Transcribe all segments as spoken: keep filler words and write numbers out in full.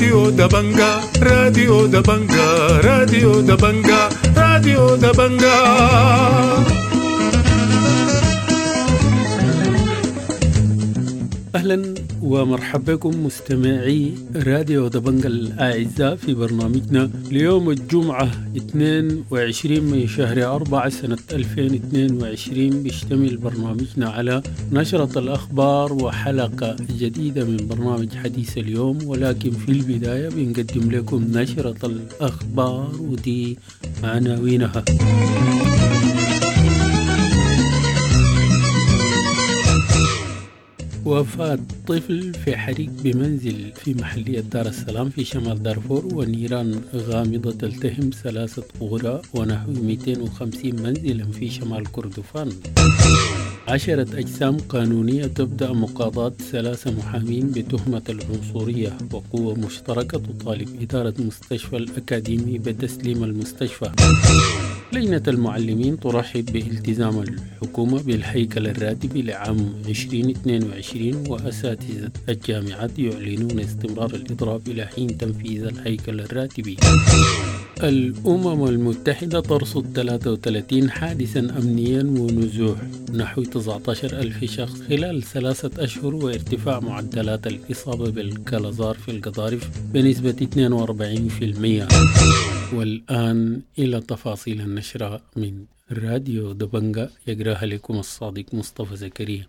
راديو دبنجا، راديو دبنجا، راديو دبنجا، راديو دبنجا. أهلا ومرحبا بكم مستمعي راديو دبنجا الأعزاء في برنامجنا ليوم الجمعة اثنين وعشرين من شهر أربعة سنة ألفين واثنين وعشرين. بيشتمل برنامجنا على نشرة الأخبار وحلقة جديدة من برنامج حديث اليوم، ولكن في البداية بنقدم لكم نشرة الأخبار ودي عناوينها. وفاة طفل في حريق بمنزل في محلية دار السلام في شمال دارفور، ونيران غامضة تلتهم ثلاثة قرى ونحو مئتين وخمسين منزلا في شمال كردفان. عشرة أجسام قانونية تبدأ مقاضاة ثلاثة محامين بتهمة العنصرية، وقوة مشتركة تطالب إدارة مستشفى الأكاديمي بتسليم المستشفى. لجنة المعلمين ترحب بالتزام الحكومة بالهيكل الراتبي لعام عشرين اثنين وعشرين، وأساتذة الجامعات يعلنون استمرار الإضراب إلى حين تنفيذ الهيكل الراتبي. الأمم المتحدة ترصد ثلاثة وثلاثين حادثا أمنيا ونزوح نحو تسعة عشر ألف شخص خلال ثلاثة أشهر، وارتفاع معدلات الإصابة بالكلازار في القضارف بنسبة اثنين وأربعين بالمئة. والآن إلى تفاصيل النشرة من راديو دبنجا، يقراها لكم الصادق مصطفى زكريا.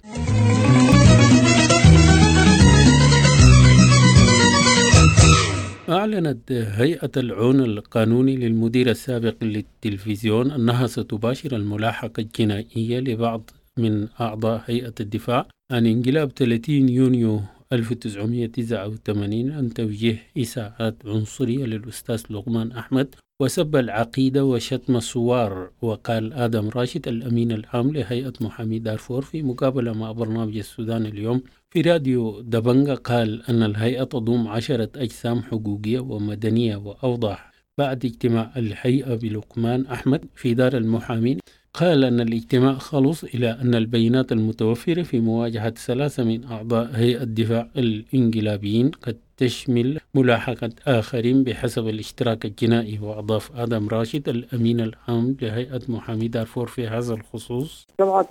أعلنت هيئة العون القانوني للمدير السابق للتلفزيون أنها ستباشر الملاحقة الجنائية لبعض من أعضاء هيئة الدفاع عن انقلاب ثلاثين يونيو ألف وتسعمائة وتسعة وثمانين عن توجيه إساءات عنصرية للأستاذ لقمان أحمد وسب العقيدة وشتم الثوار. وقال آدم راشد الأمين العام لهيئة محامي دارفور في مقابلة مع برنامج السودان اليوم في راديو دبنجا، قال أن الهيئة تضم عشرة أجسام حقوقية ومدنية. وأوضح بعد اجتماع الهيئة بلقمان أحمد في دار المحامين، قال أن الاجتماع خلص إلى أن البيانات المتوفرة في مواجهة ثلاثة من أعضاء هيئة الدفاع الإنقلابيين قد تشمل ملاحقة آخرين بحسب الاشتراك الجنائي. وأضاف آدم راشد الأمين العام لهيئة محامي دارفور في هذا الخصوص: سبعة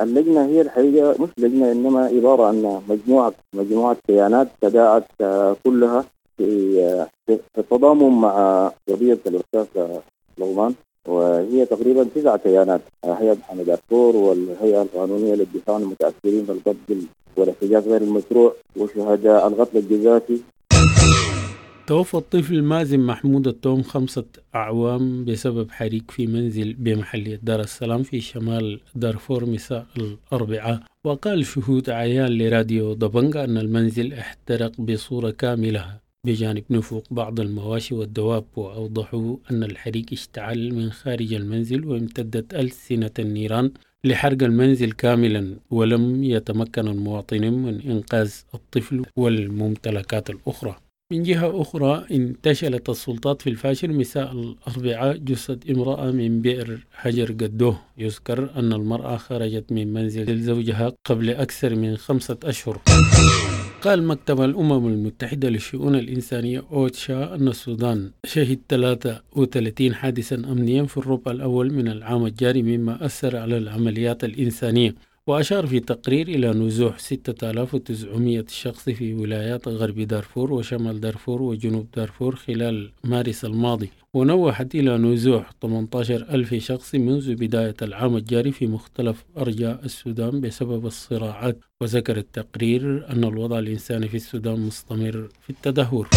اللجنة هي الحقيقة مش لجنة، إنما عبارة عن مجموعة مجموعة كيانات تداعت كلها في التضامن مع قضية الأستاذ لقمان، وهي تقريبا تسعة كيانات: هيئة محامي دارفور، والهيئة القانونية للدفاع عن المتأثرين بالقتل والاحتجاز غير المشروع، وشهداء القتل الجزافي. توفى الطفل مازن محمود التوم خمسة أعوام بسبب حريق في منزل بمحلية دار السلام في شمال دارفور مساء الأربعاء. وقال شهود عيان لراديو دبنجا أن المنزل احترق بصورة كاملة بجانب نفوق بعض المواشي والدواب، وأوضحوا أن الحريق اشتعل من خارج المنزل وامتدت ألسنة النيران لحرق المنزل كاملا، ولم يتمكن المواطنين من إنقاذ الطفل والممتلكات الأخرى. من جهة أخرى، انتشلت السلطات في الفاشر مساء الأربعاء جثة امرأة من بئر حجر قدوه. يذكر أن المرأة خرجت من منزل زوجها قبل أكثر من خمسة أشهر. قال مكتب الأمم المتحدة للشؤون الإنسانية أوتشا أن السودان شهد ثلاثة وثلاثين حادثا أمنيا في الربع الأول من العام الجاري، مما أثر على العمليات الإنسانية. وأشار في تقرير إلى نزوح ستة آلاف وتسعمائة شخص في ولايات غرب دارفور وشمال دارفور وجنوب دارفور خلال مارس الماضي، ونوحت إلى نزوح ثمانية عشر ألف شخص منذ بداية العام الجاري في مختلف أرجاء السودان بسبب الصراعات. وذكر التقرير أن الوضع الإنساني في السودان مستمر في التدهور.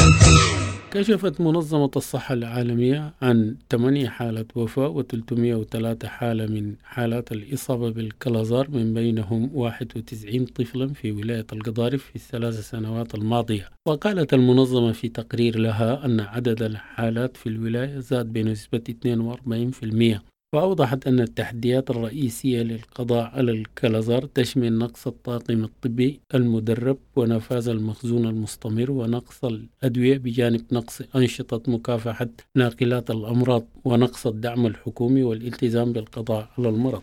كشفت منظمة الصحة العالمية عن ثمانية حالات وفاة وثلاثمائة وثلاثة حالة من حالات الإصابة بالكلازار، من بينهم واحد وتسعين طفلا في ولاية القضارف في الثلاث سنوات الماضية. وقالت المنظمة في تقرير لها أن عدد الحالات في الولاية زاد بنسبة اثنين وأربعين بالمئة. وأوضحت أن التحديات الرئيسية للقضاء على الكلازار تشمل نقص الطاقم الطبي المدرب ونفاذ المخزون المستمر ونقص الأدوية، بجانب نقص أنشطة مكافحة ناقلات الأمراض ونقص الدعم الحكومي والالتزام بالقضاء على المرض.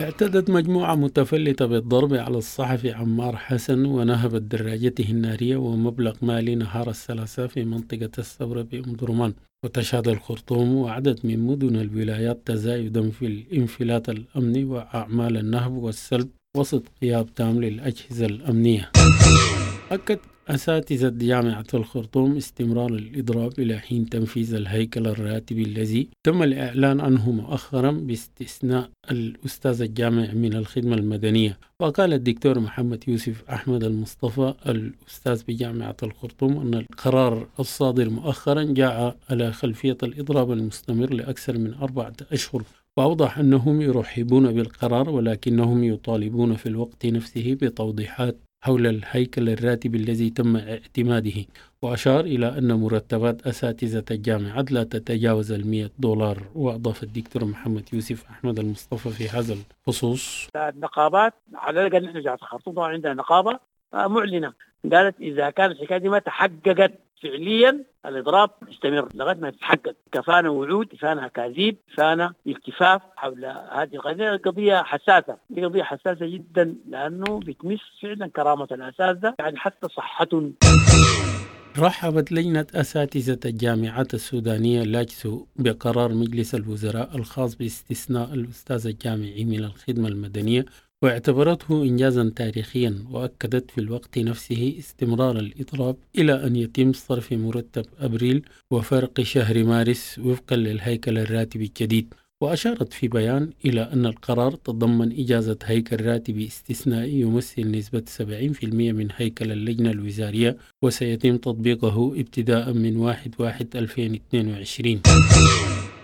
اعتدت مجموعة متفلتة بالضرب على الصحفي عمار حسن ونهبت دراجته النارية ومبلغ مالي نهار الثلاثاء في منطقة الثورة بأم درمان. وتشهد الخرطوم وعدد من مدن الولايات تزايدا في الانفلات الأمني وأعمال النهب والسلب وسط غياب تام للأجهزة الأمنية. أكد أساتذة جامعة الخرطوم استمرار الإضراب إلى حين تنفيذ الهيكل الراتبي الذي تم الإعلان عنه مؤخرا باستثناء الأستاذ الجامعي من الخدمة المدنية. وقال الدكتور محمد يوسف أحمد المصطفى الأستاذ بجامعة الخرطوم أن القرار الصادر مؤخرا جاء على خلفية الإضراب المستمر لأكثر من أربعة أشهر، وأوضح أنهم يرحبون بالقرار ولكنهم يطالبون في الوقت نفسه بتوضيحات حول الهيكل الراتب الذي تم اعتماده. وأشار إلى أن مرتبات أساتذة الجامعات لا تتجاوز المئة دولار. وأضاف الدكتور محمد يوسف أحمد المصطفى في هذا الخصوص: النقابات على الأقل نحن جامعة الخرطوم طبعا عندنا نقابة معلنة قالت إذا كانت الحكاية دي ما تحققت فعليا الإضراب يستمر لغاية ما تتحقق. كفانا وعود، كفانا أكاذيب، كفانا التفاف حول هذه القضية. قضية حساسة، دي قضية حساسة جدا لأنه بتمس فعلا كرامة الأساتذة، يعني حتى صحتهم. رحبت لجنة أساتذة الجامعات السودانية لاجسو بقرار مجلس الوزراء الخاص باستثناء الأستاذ الجامعي من الخدمة المدنية، واعتبرته إنجازا تاريخيا، وأكدت في الوقت نفسه استمرار الإضراب إلى أن يتم صرف مرتب أبريل وفرق شهر مارس وفقا للهيكل الراتبي الجديد. وأشارت في بيان إلى أن القرار تضمن إجازة هيكل راتبي استثنائي يمثل نسبة سبعين بالمئة من هيكل اللجنة الوزارية، وسيتم تطبيقه ابتداء من واحد واحد ألفين واثنين وعشرين.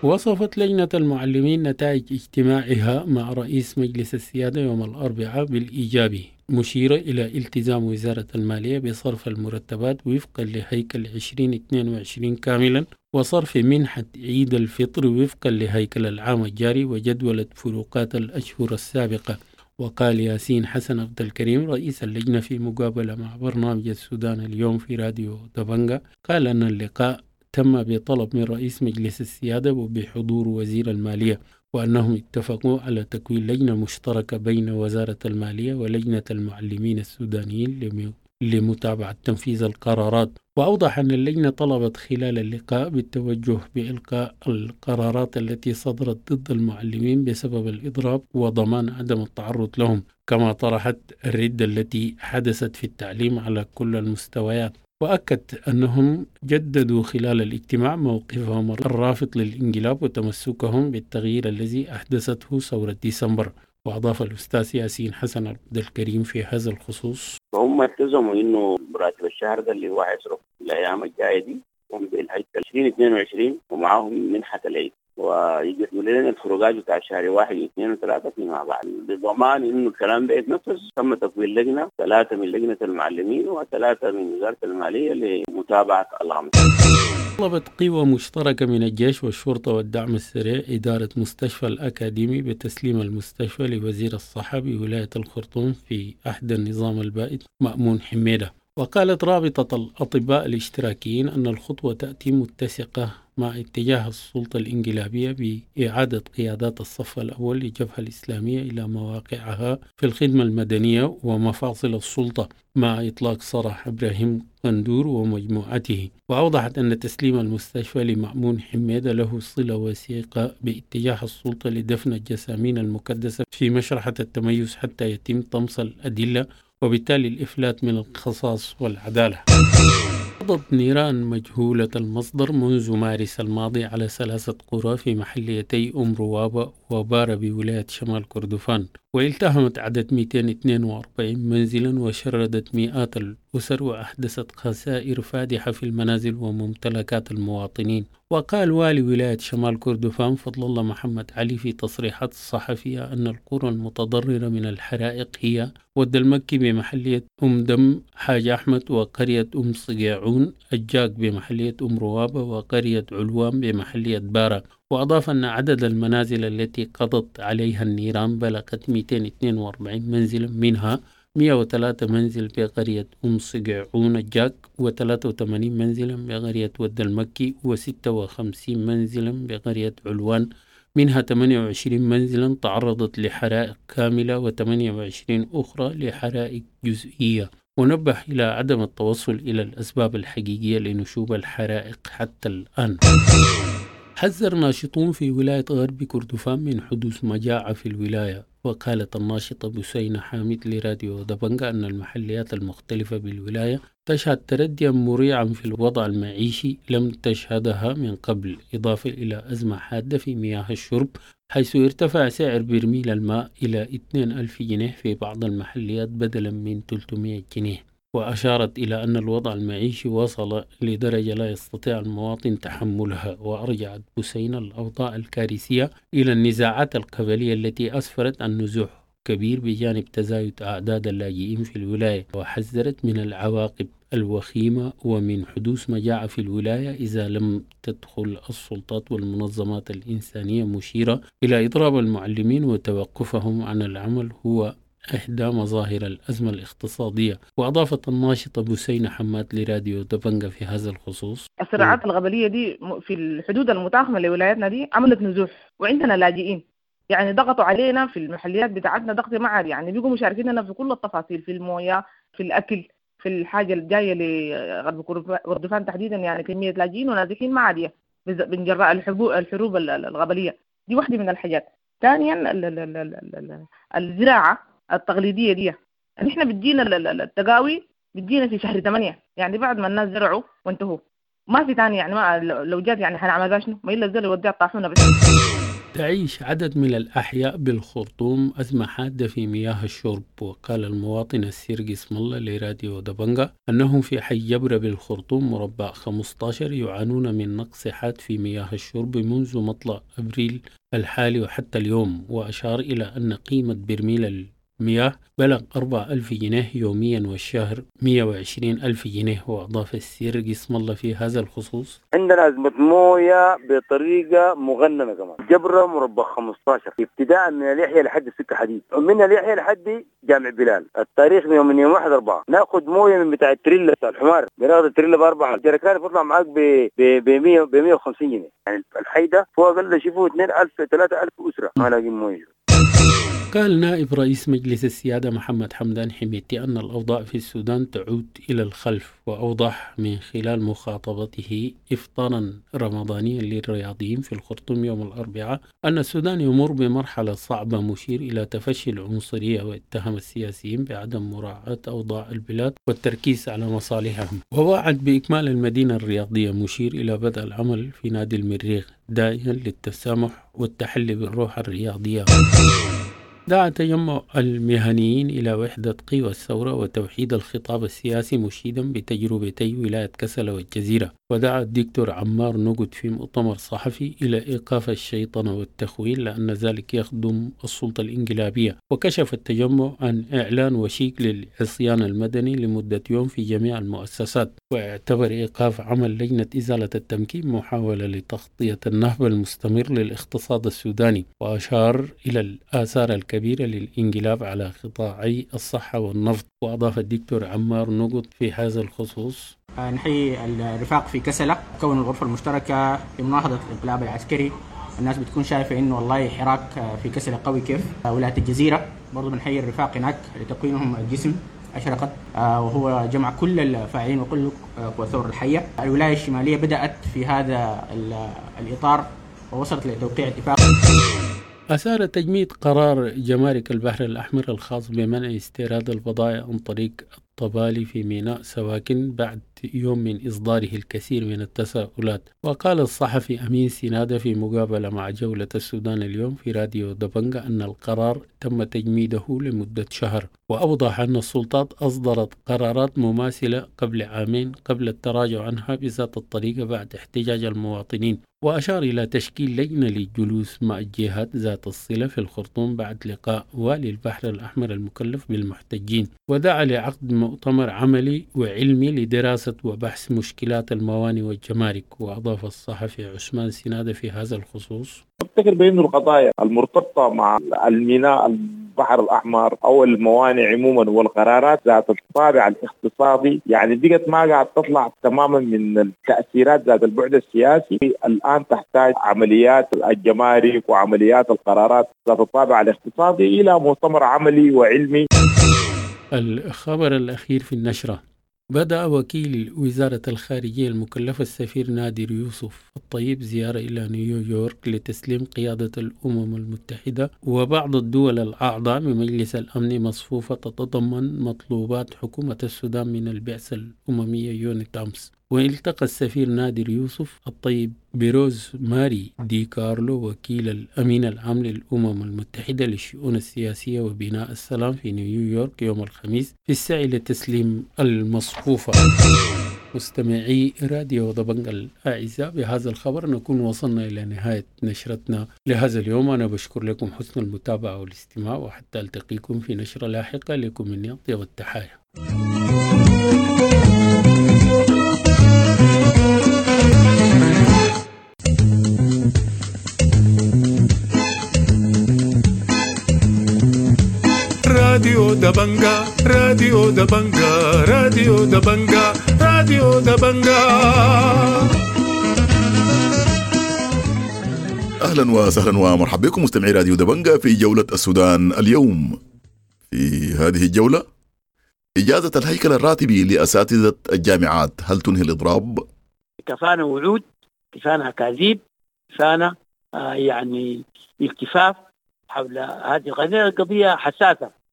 وصفت لجنة المعلمين نتائج اجتماعها مع رئيس مجلس السيادة يوم الأربعاء بالإيجابي، مشيرة إلى التزام وزارة المالية بصرف المرتبات وفقا لهيكل عشرين اثنين وعشرين كاملا، وصرف منحة عيد الفطر وفقا لهيكل العام الجاري وجدولة فروقات الأشهر السابقة. وقال ياسين حسن عبد الكريم رئيس اللجنة في مقابلة مع برنامج السودان اليوم في راديو دبنجا، قال أن اللقاء تم بطلب من رئيس مجلس السيادة وبحضور وزير المالية، وأنهم اتفقوا على تكوين لجنة مشتركة بين وزارة المالية ولجنة المعلمين السودانيين لمتابعة تنفيذ القرارات. وأوضح أن اللجنة طلبت خلال اللقاء بالتوجه بإلقاء القرارات التي صدرت ضد المعلمين بسبب الإضراب وضمان عدم التعرض لهم، كما طرحت الردة التي حدثت في التعليم على كل المستويات. وأكد أنهم جددوا خلال الاجتماع موقفهم الرافض للانقلاب وتمسكهم بالتغيير الذي أحدثته ثورة ديسمبر. وأضاف الأستاذ ياسين حسن عبد الكريم في هذا الخصوص: فهم التزموا إنه راتب الشهر ده اللي هو هيصرف الأيام الجاية دي هم بالهيكل عشرين اثنين وعشرين ومعاهم منحة العيد، ويجدوا لنا الفروقات بتاع شهر واحد واثنين وثلاثة فيما بعد، بضمان إنه الكلام ده يتنفذ. تم تكوين لجنة، ثلاثة من لجنة المعلمين وثلاثة من وزارة المالية لمتابعة الأمر. طلبت قوى مشتركة من الجيش والشرطة والدعم السريع إدارة مستشفى الأكاديمي بتسليم المستشفى لوزير الصحة بولاية الخرطوم في عهد النظام البائد مأمون حميدة. وقالت رابطة الأطباء الاشتراكيين أن الخطوة تأتي متسقة مع اتجاه السلطة الانقلابية بإعادة قيادات الصف الأول للجبهة الإسلامية إلى مواقعها في الخدمة المدنية ومفاصل السلطة، مع إطلاق سراح إبراهيم قندور ومجموعته. وأوضحت أن تسليم المستشفى لمأمون حميدة له صلة وثيقة باتجاه السلطة لدفن الجسامين المكدسة في مشرحة التميز حتى يتم طمس الأدلة وبالتالي الإفلات من القصاص والعدالة. قضت نيران مجهولة المصدر منذ مارس الماضي على ثلاثة قرى في محليتي أم روابة وبارة بولاية شمال كردفان، والتهمت عدد مئتين واثنين وأربعين منزلا وشردت مئات الأسر وأحدثت خسائر فادحة في المنازل وممتلكات المواطنين. وقال والي ولاية شمال كردفان فضل الله محمد علي في تصريحات صحفية أن القرى المتضررة من الحرائق هي ود المكي بمحلية أم دم حاج أحمد، وقرية أم صقيعون الجاك بمحلية أم روابة، وقرية علوان بمحلية بارة. وأضاف أن عدد المنازل التي قضت عليها النيران بلغت مئتين واثنين وأربعين منزلا، منها مئة وثلاثة منزل بقرية أم صقيعون الجاك، وثلاثة وثمانين منزلا بقرية ود المكي، وستة وخمسين منزلا بقرية علوان منها ثمانية وعشرين منزلا تعرضت لحرائق كاملة وثمانية وعشرين أخرى لحرائق جزئية. ونبه إلى عدم التوصل إلى الأسباب الحقيقية لنشوب الحرائق حتى الآن. حذر ناشطون في ولاية غرب كردفان من حدوث مجاعة في الولاية. وقالت الناشطة بسينة حامد لراديو دبنجا أن المحليات المختلفة بالولاية تشهد ترديا مريعا في الوضع المعيشي لم تشهدها من قبل، إضافة إلى أزمة حادة في مياه الشرب، حيث ارتفع سعر برميل الماء إلى اثنين ألف جنيه في بعض المحليات بدلا من ثلاثمئة جنيه. وأشارت إلى أن الوضع المعيشي وصل لدرجة لا يستطيع المواطن تحملها. وأرجعت بسينة الأوضاع الكارثية إلى النزاعات القبلية التي أسفرت عن نزوح كبير بجانب تزايد أعداد اللاجئين في الولاية، وحذرت من العواقب الوخيمة ومن حدوث مجاعة في الولاية إذا لم تدخل السلطات والمنظمات الإنسانية، مشيرة إلى إضراب المعلمين وتوقفهم عن العمل هو إحدى مظاهر الأزمة الاقتصادية. وأضافت الناشطة بسينة حماد لراديو دبنجا في هذا الخصوص: الصراعات القبلية دي في الحدود المتاخمة لولايتنا دي عملت نزوح، وعندنا لاجئين، يعني ضغطوا علينا في المحليات بتاعتنا ضغط ما عادي، يعني بيقوا مشاركيننا في كل التفاصيل، في المويه، في الأكل، في الحاجة الجاية لغرب كردفان تحديدا، يعني كمية لاجئين ونازحين ما عادية من جراء الحروب القبلية دي، واحدة من الحاجات. ثانيا الزراعة التقليدية دي نحن بتجينا التقاوي بتجينا في شهر ثمانية، يعني بعد ما الناس زرعوا وانتهوا، ما في ثاني، يعني ما لو جات يعني حنعمل شنو، ما إلا الزل يوديها الطاحونة بس. تعيش عدد من الأحياء بالخرطوم أزمة حادة في مياه الشرب. وقال المواطن السيرجي اسم الله لراديو دبنجا أنهم في حي جبرة بالخرطوم مربع خمسة عشر يعانون من نقص حاد في مياه الشرب منذ مطلع أبريل الحالي وحتى اليوم. وأشار إلى أن قيمة برميل المياه بلغ أربعة ألف جنيه يوميا والشهر مئة وعشرين ألف جنيه. وأضاف السيرجي اسم الله في هذا الخصوص: عندنا أزمة موية بطريقة مغنمة كمان، جبرة مربع خمسة عشر ابتداء من اليحيى لحد السكة حديد، ومن اليحيى لحد جامع بلال، التاريخ من يوم من يوم واحد أربعة ناخذ موية من بتاع التريلا بتاع الحمار، بناخذ التريلا بأربعة جركان بيطلع معاك ب ب مئة وخمسين جنيه، يعني الحي ده فوق أقل شيء فوق اثنين ألف ثلاثة ألف أسرة ما لاقين موية. قال نائب رئيس مجلس السيادة محمد حمدان حميدتي أن الأوضاع في السودان تعود إلى الخلف، وأوضح من خلال مخاطبته إفطارا رمضانيا للرياضيين في الخرطوم يوم الأربعاء أن السودان يمر بمرحلة صعبة، مشير إلى تفشي العنصرية، واتهم السياسيين بعدم مراعاة أوضاع البلاد والتركيز على مصالحهم. ووعد بإكمال المدينة الرياضية، مشير إلى بدء العمل في نادي المريخ، داعيا للتسامح والتحلي بالروح الرياضية. دعا تجمع المهنيين إلى وحدة قوى الثورة وتوحيد الخطاب السياسي، مشيدا بتجربتي ولاية كسلا والجزيرة. ودعا الدكتور عمار نقد في مؤتمر صحفي إلى إيقاف الشيطنة والتخوين لأن ذلك يخدم السلطة الإنقلابية. وكشف التجمع عن إعلان وشيك للعصيان المدني لمدة يوم في جميع المؤسسات، واعتبر إيقاف عمل لجنة إزالة التمكين محاولة لتغطية النهب المستمر للاقتصاد السوداني. وأشار إلى الآثار الكبيرة للإنقلاب على قطاعي الصحة والنفط. وأضاف الدكتور عمار نقد في هذا الخصوص: نحيي الرفاق في كسلة كون الغرفة المشتركة لمناهضة الانقلاب العسكري. الناس بتكون شايفة إنه والله حراك في كسلة قوي كيف. ولاية الجزيرة برضو بنحيي الرفاق هناك لتكوينهم الجسم أشرقت، وهو جمع كل الفاعلين وكل قوى الثورة الحية. الولاية الشمالية بدأت في هذا الإطار ووصلت لتوقيع اتفاق. أثار تجميد قرار جمارك البحر الأحمر الخاص بمنع استيراد البضائع عن طريق الطبالي في ميناء سواكن بعد يوم من إصداره الكثير من التساؤلات. وقال الصحفي أمين سنادة في مقابلة مع جولة السودان اليوم في راديو دبنجا أن القرار تم تجميده لمدة شهر، وأوضح أن السلطات أصدرت قرارات مماثلة قبل عامين قبل التراجع عنها بذات الطريقة بعد احتجاج المواطنين. وأشار إلى تشكيل لجنة للجلوس مع الجهات ذات الصلة في الخرطوم بعد لقاء والي البحر الأحمر المكلف بالمحتجين، ودعا لعقد مؤتمر عملي وعلمي لدراسة وبحث مشكلات الموانئ والجمارك. وأضاف الصحفي عثمان سنادة في هذا الخصوص: أفتكر بأن القضايا المرتبطة مع الميناء البحر الأحمر أو الموانئ عموما والقرارات ذات الطابع الاقتصادي يعني بقت ما قاعد تطلع تماما من التأثيرات ذات البعد السياسي. الآن تحتاج عمليات الجمارك وعمليات القرارات ذات الطابع الاقتصادي إلى مؤتمر عملي وعلمي. الخبر الأخير في النشرة: بدأ وكيل وزارة الخارجية المكلف السفير نادر يوسف الطيب زيارة إلى نيويورك لتسليم قيادة الأمم المتحدة وبعض الدول الأعضاء بمجلس الأمن مصفوفة تتضمن مطلوبات حكومة السودان من البعثة الأممية يونيتامس. والتقى السفير نادر يوسف الطيب بروز ماري دي كارلو وكيل الأمين العام للأمم المتحدة للشؤون السياسية وبناء السلام في نيويورك يوم الخميس في السعي لتسليم المصفوفة. مستمعي راديو دبنج الأعزاء، بهذا الخبر نكون وصلنا إلى نهاية نشرتنا لهذا اليوم. أنا بشكر لكم حسن المتابعة والاستماع، وحتى ألتقيكم في نشرة لاحقة. لكم مني أطيب التحايا. راديو دبنجا، راديو دبنجا، راديو دبنجا، راديو دبنجا. أهلا وسهلا ومرحبا بكم مستمعي راديو دبنجا في جولة السودان اليوم. في هذه الجولة: إجازة الهيكل الراتبي لأساتذة الجامعات، هل تنهي الإضراب؟ كفانا وعود، كفانا أكاذيب، كفانا آه يعني التفاف حول هذه القضية، قضية حساسة.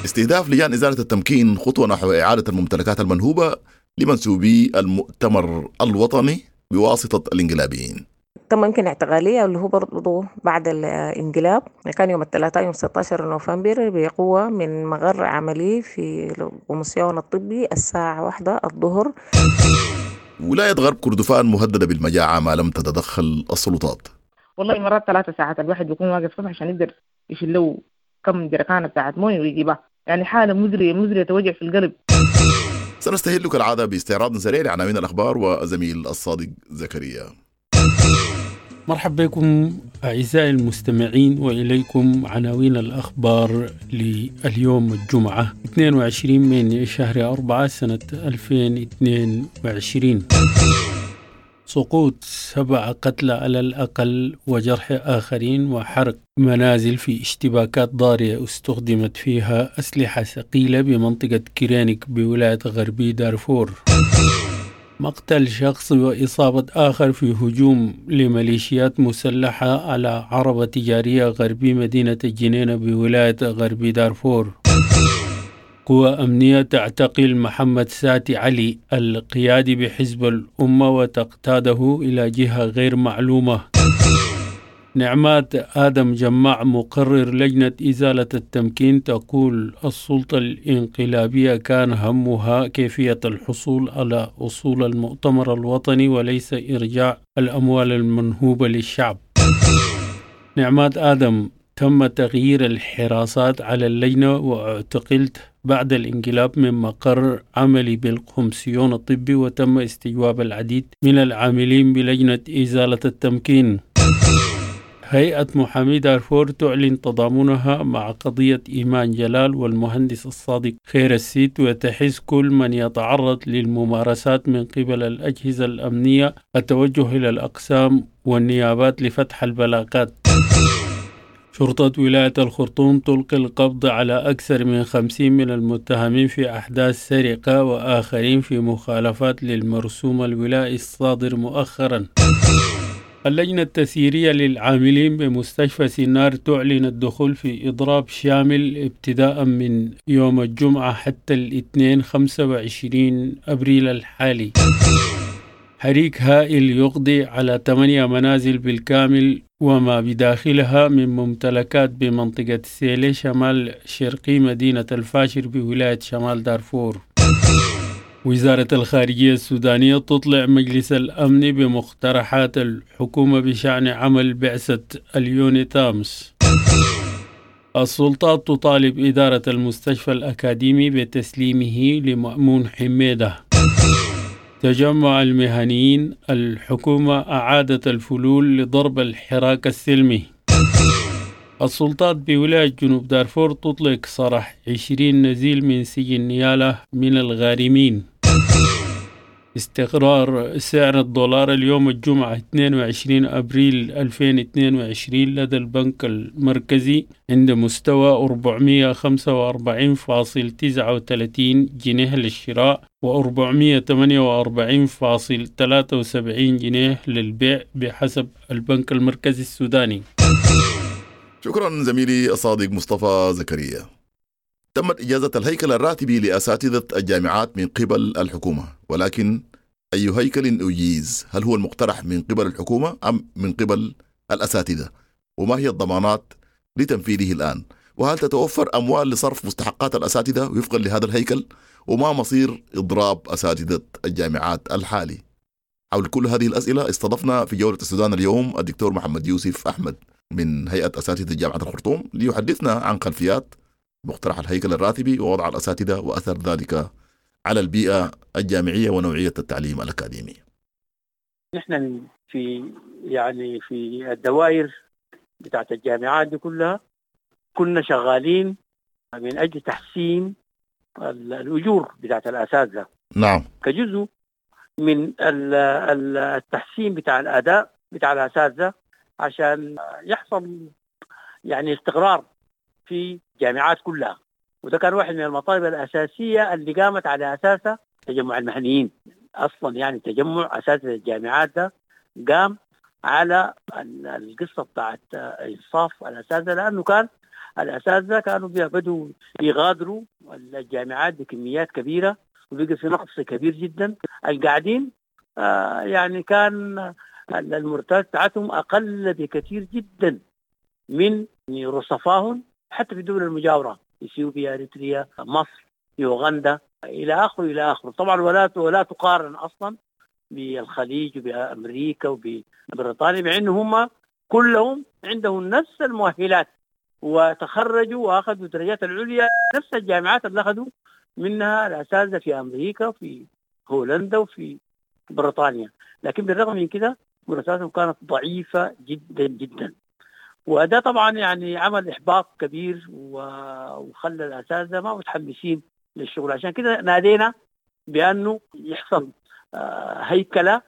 استهداف لجان إزالة التمكين خطوة نحو إعادة الممتلكات المنهوبة لمنسوبي المؤتمر الوطني بواسطة الانقلابيين. تم يمكن اعتقالية اللي هو برضو بعد الانقلاب، كان يوم الثلاثاء يوم ستة عشر نوفمبر بقوة من مقر عملي في القومسيون الطبي الساعة واحدة الظهر. ولاية غرب كردفان مهددة بالمجاعة ما لم تتدخل السلطات. والله مرات ثلاثة ساعات الواحد بيكون واقف صف عشان يقدر يشيل له كم جركانة بتاعت مويه ويجيبها، يعني حالة مزرية مزرية توجع في القلب. سنستهل كالعادة باستعراض سريع لعناوين الأخبار وزميل الصادق زكريا. مرحبا بكم أعزائي المستمعين، وإليكم عناوين الأخبار لليوم الجمعة اثنين وعشرين من شهر أربعة سنة ألفين واثنين وعشرين. سقوط سبع قتلى على الأقل وجرح آخرين وحرق منازل في اشتباكات ضارية استخدمت فيها أسلحة ثقيلة بمنطقة كيرانيك بولاية غربي دارفور. مقتل شخص وإصابة آخر في هجوم لميليشيات مسلحة على عربة تجارية غربي مدينة الجنينة بولاية غربي دارفور. قوى أمنية تعتقل محمد ساتي علي القيادي بحزب الأمة وتقتاده إلى جهة غير معلومة. نعمات آدم جماع مقرر لجنة إزالة التمكين تقول السلطة الإنقلابية كان همها كيفية الحصول على أصول المؤتمر الوطني وليس إرجاع الأموال المنهوبة للشعب. نعمات آدم تم تغيير الحراسات على اللجنة واعتقلت بعد الانقلاب من مقر عملي بالقمسيون الطبي، وتم استجواب العديد من العاملين بلجنة إزالة التمكين. هيئة محامي دارفور تعلن تضامنها مع قضية إيمان جلال والمهندس الصادق خير السيد، وتحث كل من يتعرض للممارسات من قبل الأجهزة الأمنية التوجه إلى الأقسام والنيابات لفتح البلاغات. شرطة ولاية الخرطوم تلقي القبض على أكثر من خمسين من المتهمين في أحداث سرقة وآخرين في مخالفات للمرسوم الولائي الصادر مؤخرا. اللجنة التسييرية للعاملين بمستشفى سنار تعلن الدخول في إضراب شامل ابتداء من يوم الجمعة حتى الاثنين خمسة وعشرين أبريل الحالي. حريق هائل يقضي على ثمانية منازل بالكامل وما بداخلها من ممتلكات بمنطقة سيلي شمال شرقي مدينة الفاشر بولاية شمال دارفور. وزارة الخارجية السودانية تطلع مجلس الأمن بمقترحات الحكومة بشأن عمل بعثة اليونيتامس. السلطات تطالب إدارة المستشفى الأكاديمي بتسليمه لمأمون حميدة. تجمع المهنيين، الحكومة أعادت الفلول لضرب الحراك السلمي. السلطات بولاية جنوب دارفور تطلق سراح عشرين نزيل من سجن نيالا من الغارمين. استقرار سعر الدولار اليوم الجمعة اثنين وعشرين أبريل ألفين واثنين وعشرين لدى البنك المركزي عند مستوى أربعمية وخمسة وأربعين فاصل تسعة وثلاثين جنيه للشراء وأربعمية وثمانية وأربعين فاصل ثلاثة وسبعين جنيه للبيع بحسب البنك المركزي السوداني. شكرا زميلي الصادق مصطفى زكريا. تمت إجازة الهيكل الراتبي لأساتذة الجامعات من قبل الحكومة، ولكن أي هيكل أجيز؟ هل هو المقترح من قبل الحكومة أم من قبل الأساتذة؟ وما هي الضمانات لتنفيذه الآن؟ وهل تتوفر أموال لصرف مستحقات الأساتذة وفقا لهذا الهيكل؟ وما مصير إضراب أساتذة الجامعات الحالي؟ حول كل هذه الأسئلة استضفنا في جولة السودان اليوم الدكتور محمد يوسف أحمد من هيئة أساتذة جامعة الخرطوم ليحدثنا عن خلفيات مقترح الهيكل الراتبي ووضع الأساتذة وأثر ذلك على البيئة الجامعية ونوعية التعليم الأكاديمي. نحن في يعني في الدوائر بتاعت الجامعات دي كلها كنا شغالين من أجل تحسين الأجور بتاعت الأساتذة. نعم. كجزء من التحسين بتاع الأداء بتاع الأساتذة عشان يحصل يعني استقرار في الجامعات كلها، وده كان واحد من المطالب الأساسية اللي قامت على أساسها تجمع المهنيين أصلا. يعني تجمع أساتذة الجامعات ده قام على القصة بتاعت إنصاف الأساتذة، لأنه كان الأساتذة كانوا بدوا يغادروا الجامعات بكميات كبيرة وبقى في نقص كبير جدا. القاعدين آه يعني كان المرتبات بتاعتهم أقل بكثير جدا من رصفاهم حتى في الدول المجاورة، إثيوبيا، إريتريا، مصر، يوغندا، إلى آخره إلى آخره. طبعا ولا ولا تقارن أصلا بالخليج وبأمريكا وببريطانيا، مع إنه هم كلهم عندهم نفس المؤهلات وتخرجوا وأخذوا درجات العليا نفس الجامعات اللي أخذوا منها الأساتذة في أمريكا وفي هولندا وفي بريطانيا، لكن بالرغم من كده مرتباتهم كانت ضعيفة جدا جدا. وده طبعا يعني عمل إحباط كبير وخلى الأساتذة ما متحمسين للشغل. عشان كده نادينا بأنه يحصل هيكلة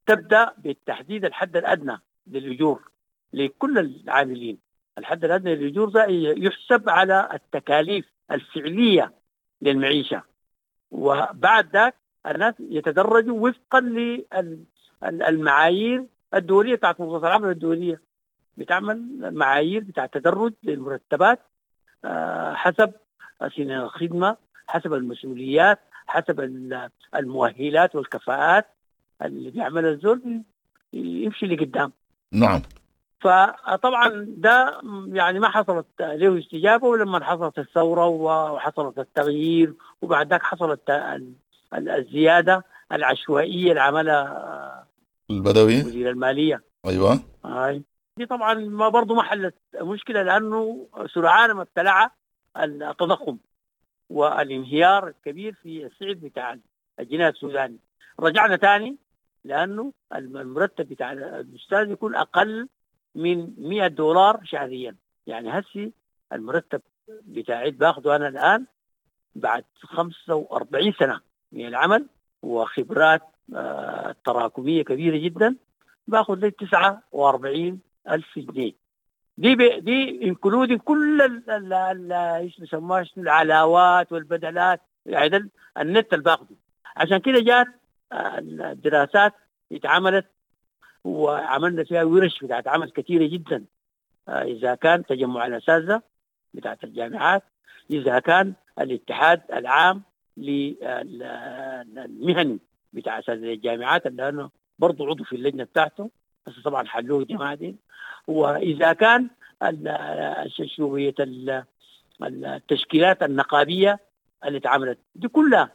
تبدأ بالتحديد الحد الأدنى للأجور لكل العاملين. الحد الأدنى للأجور ده يحسب على التكاليف الفعلية للمعيشة، وبعد ذاك الناس يتدرجوا وفقا للمعايير الدولية بتاعت منظمة العمل الدولية، بتعمل معايير بتاع تدرج للمرتبات حسب سنين الخدمة، حسب المسؤوليات، حسب المؤهلات والكفاءات اللي بيعملها الزول يمشي لقدام. نعم. فطبعا ده يعني ما حصلت له استجابة، ولما حصلت الثورة وحصلت التغيير وبعد ذاك حصلت الزيادة العشوائية اللي عملها البدوي وزير المالية. أيوة. هاي دي طبعا ما برضو ما حلت مشكلة، لأنه سرعان ما ابتلع التضخم والانهيار الكبير في السعر بتاع الجنيه السوداني. رجعنا تاني لأنه المرتب بتاع الأستاذ يكون أقل من مئة دولار شهريا. يعني هسي المرتب بتاعي باخده أنا الآن بعد خمسة وأربعين سنة من العمل وخبرات آه تراكمية كبيرة جدا، باخد لي تسعة وأربعين ألف جنيه. دي بي دي including كل ال ال ايش بيسموها العلاوات والبدلات، يعني ده النت اللي باخده. عشان كده جات الدراسات اتعملت وعملنا فيها ورش بتاعت عمل كثيرة جدا، إذا كان تجمع الأساتذة بتاعت الجامعات، إذا كان الاتحاد العام للمهني بتاع أساتذة الجامعات اللي أنا برضو عضو في اللجنة بتاعته، بس طبعا حلوه الجماعة دي، وإذا كان شوية التشكيلات النقابية اللي اتعملت دي كلها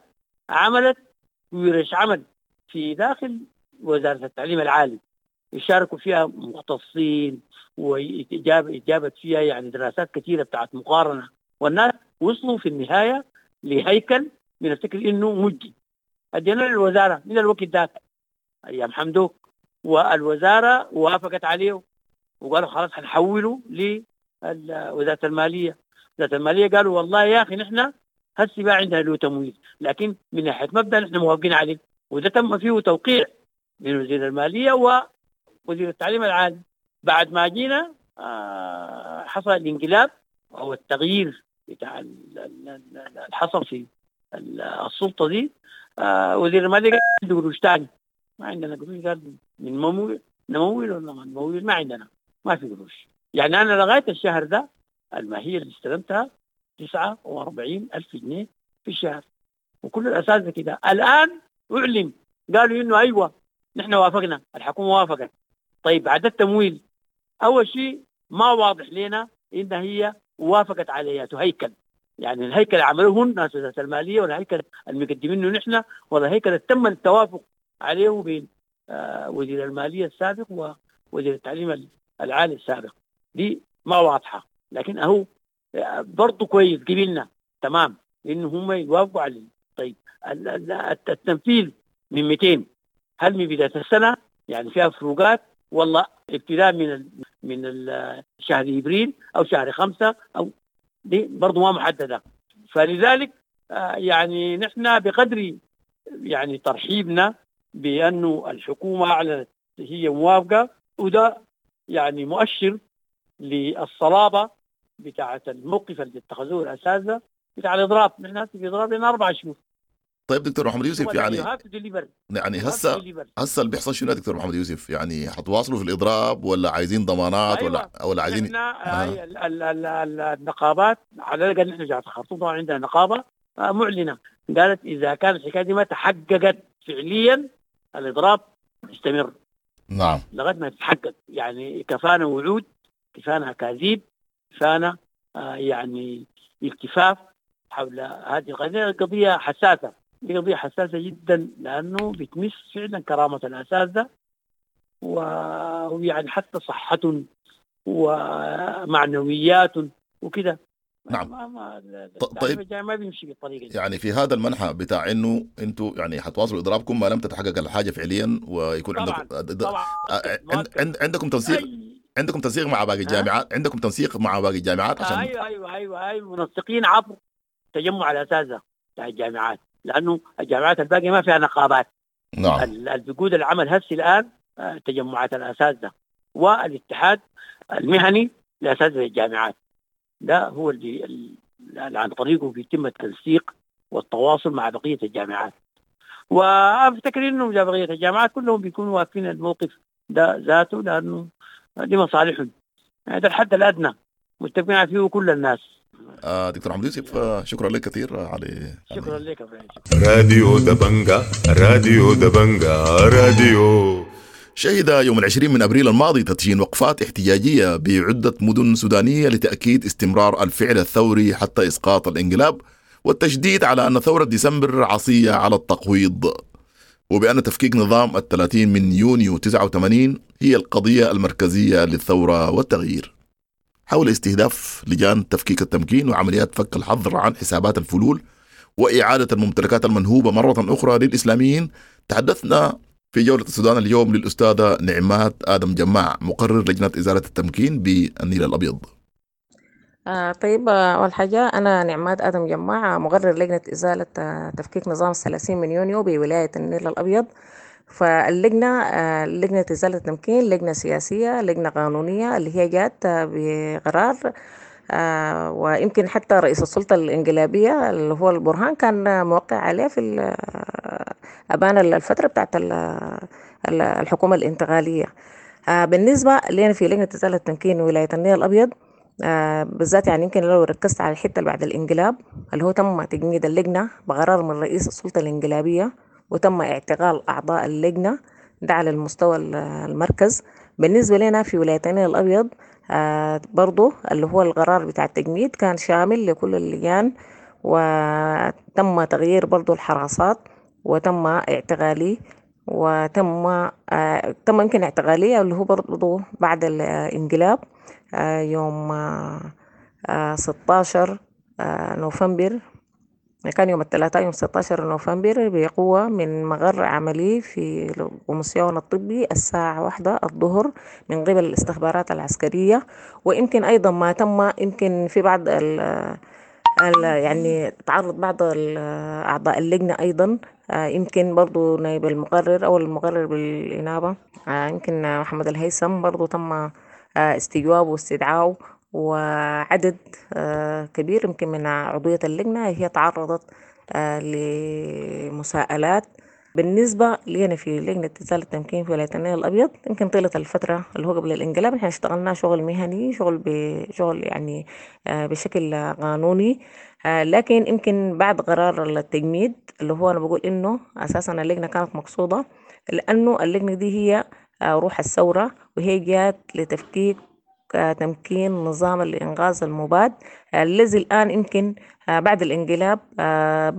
عملت ورش عمل في داخل وزارة التعليم العالي يشاركوا فيها مختصين، وإجابت فيها يعني دراسات كثيرة بتاعت مقارنة، والناس وصلوا في النهاية لهيكل بنفتكر إنه مجدي. أدينا للوزارة من الوقت ذاك أيام حمدوك، والوزارة وافقت عليه وقالوا خلاص هنحوله وزارة المالية. وزارة المالية قالوا والله يا اخي نحن هسي ما عندنا له تمويل، لكن من ناحية مبدا نحن موافقين عليه، وده تم فيه توقيع من وزير المالية ووزير التعليم العالي. بعد ما جينا آه حصل الانقلاب او التغيير بتاع اللي حصل في السلطة دي. آه وزير المالية قال عنده قروش ثاني، ما عندنا قروش، قال من ممول نمول ولا ما نمول، ما عندنا، ما في قروش. يعني انا لغاية الشهر ده الماهية اللي استلمتها تسعة وأربعين ألف جنيه في الشهر، وكل الاساتذة كده. الان اعلن قالوا انه ايوه نحن وافقنا، الحكومة وافقت. طيب عدد التمويل اول شيء ما واضح لنا ان هي وافقت على هيكل، يعني الهيكل عملوه الناس وزارة المالية، ولا الهيكل المقدمينه نحن، ولا الهيكل اللي تم التوافق عليه بين آه وزير المالية السابق ووزير التعليم العالي السابق. دي ما واضحة، لكن اهو برضه كويس قبلنا تمام انه هم يوافقوا عليه. طيب التنفيذ من مئتين، هل من بداية السنة يعني فيها فروقات، والله ابتداء من ال من ال شهر ابريل او شهر خمسة، او دي برضه ما محددة. فلذلك يعني نحن بقدر يعني ترحيبنا بانه الحكومة اعلنت هي موافقة، وده يعني مؤشر للصلابه بتاعه الموقف اللي اتخذوه الاساتذة بتاع الاضراب. نحن في اضراب لنا اربع شهور. طيب دكتور محمد يوسف، يعني يعني هسه هسه اللي بيحصل شنو يا دكتور محمد يوسف؟ يعني حتواصلوا في الاضراب ولا عايزين ضمانات؟ أيوة. ولا ولا عايزين احنا آه. ال ال ال النقابات على الاقل نحن جامعه الخرطوم طبعا عندنا نقابة معلنة قالت اذا كانت الحكاية دي ما تحققت فعليا الاضراب يستمر. نعم، لغاية ما تتحقق. يعني كفانا وعود، كفانا اكاذيب، كفانا آه يعني التفاف حول هذه القضية. قضية حساسة، دي قضية حساسة جدا، لأنه بتمس فعلا كرامة الأساتذة ويعني حتى صحتهم ومعنوياتهم وكده. نعم. ما ما طيب ما بيمشي بالطريقة دي. يعني في هذا المنحى بتاع انه انتم يعني حتواصلوا اضرابكم ما لم تتحقق الحاجة فعليا، ويكون طبعاً عندكم طبعاً عند عندكم تنسيق، عندكم تنسيق مع باقي الجامعات، عندكم تنسيق مع باقي الجامعات عشان ايوه ايوه ايوه ايوه منسقين عبر تجمع الأساتذة بتاع الجامعات، لأنه الجامعات الباقية ما فيها نقابات. نعم. اللي بيقود العمل هسه الآن تجمعات الأساتذة والاتحاد المهني لأساتذة الجامعات، ده هو اللي, اللي عن طريقه بيتم التنسيق والتواصل مع بقية الجامعات. وأفتكر إنه بقية الجامعات كلهم بيكونوا واقفين الموقف ده ذاته، لأنه دي مصالحهم، هذا الحد الأدنى متفقين فيه كل الناس. آه دكتور محمد يوسف، شكرا لك كثير على شكرا لك. راديو دبنجا، راديو دبنجا، راديو. شهد يوم العشرين من أبريل الماضي تدشين وقفات احتجاجية بعدة مدن سودانية لتأكيد استمرار الفعل الثوري حتى إسقاط الانقلاب، والتشديد على أن ثورة ديسمبر عصية على التقويض، وبأن تفكيك نظام الثلاثين من يونيو تسعة وثمانين هي القضية المركزية للثورة والتغيير. حول استهداف لجان تفكيك التمكين وعمليات فك الحظر عن حسابات الفلول وإعادة الممتلكات المنهوبة مرة أخرى للإسلاميين، تحدثنا في جولة السودان اليوم للأستاذة نعمات آدم جماع، مقرر لجنة إزالة التمكين بالنيل الأبيض. آه طيب، أول حاجة أنا نعمات آدم جماع، مقرر لجنة إزالة تفكيك نظام الثلاثين من يونيو بولاية النيل الأبيض. فاللجنة لجنة إزالة التمكين لجنة سياسية، لجنة قانونية اللي هي جات بقرار، ويمكن حتى رئيس السلطة الانقلابية اللي هو البرهان كان موقع عليه في أبان الفترة بتاعت الحكومة الانتقالية. بالنسبة لنا في لجنة إزالة التمكين ولاية النيل الأبيض بالذات، يعني يمكن لو ركزت على الحتة اللي بعد الانقلاب اللي هو تم تجميد اللجنة بقرار من رئيس السلطة الانقلابية، وتم اعتقال أعضاء اللجنة ده على المستوى المركز. بالنسبة لنا في ولاية النيل الأبيض آه برضو اللي هو القرار بتاع التجميد كان شامل لكل اللجان، وتم تغيير برضو الحراسات، وتم اعتقالي، وتم آه تم يمكن اعتقالي اللي هو برضو بعد الانقلاب آه يوم آه ستاشر آه نوفمبر كان يوم الثلاثاء يوم ستة عشر نوفمبر بقوة من مقر عملي في القومسيون الطبي الساعة واحدة الظهر من قبل الاستخبارات العسكرية. ويمكن أيضا ما تم يمكن في بعض ال يعني تعرض بعض أعضاء اللجنة أيضا، يمكن برضو نائب المقرر أو المقرر بالإنابة يمكن محمد الهيثم برضو تم استجوابه واستدعائه، وعدد كبير يمكن من عضوية اللجنة هي تعرضت لمساءلات. بالنسبة لنا في لجنة إزالة التمكين في ولاية النيل الأبيض، يمكن طيلة الفترة اللي هو قبل الانقلاب احنا اشتغلنا شغل مهني، شغل بشغل يعني بشكل قانوني، لكن يمكن بعد قرار التجميد اللي هو أنا بقول إنه أساسا اللجنة كانت مقصودة، لأنه اللجنة دي هي روح الثورة، وهي جات لتفكيك تمكين نظام الإنقاذ المباد الذي الآن يمكن بعد الانقلاب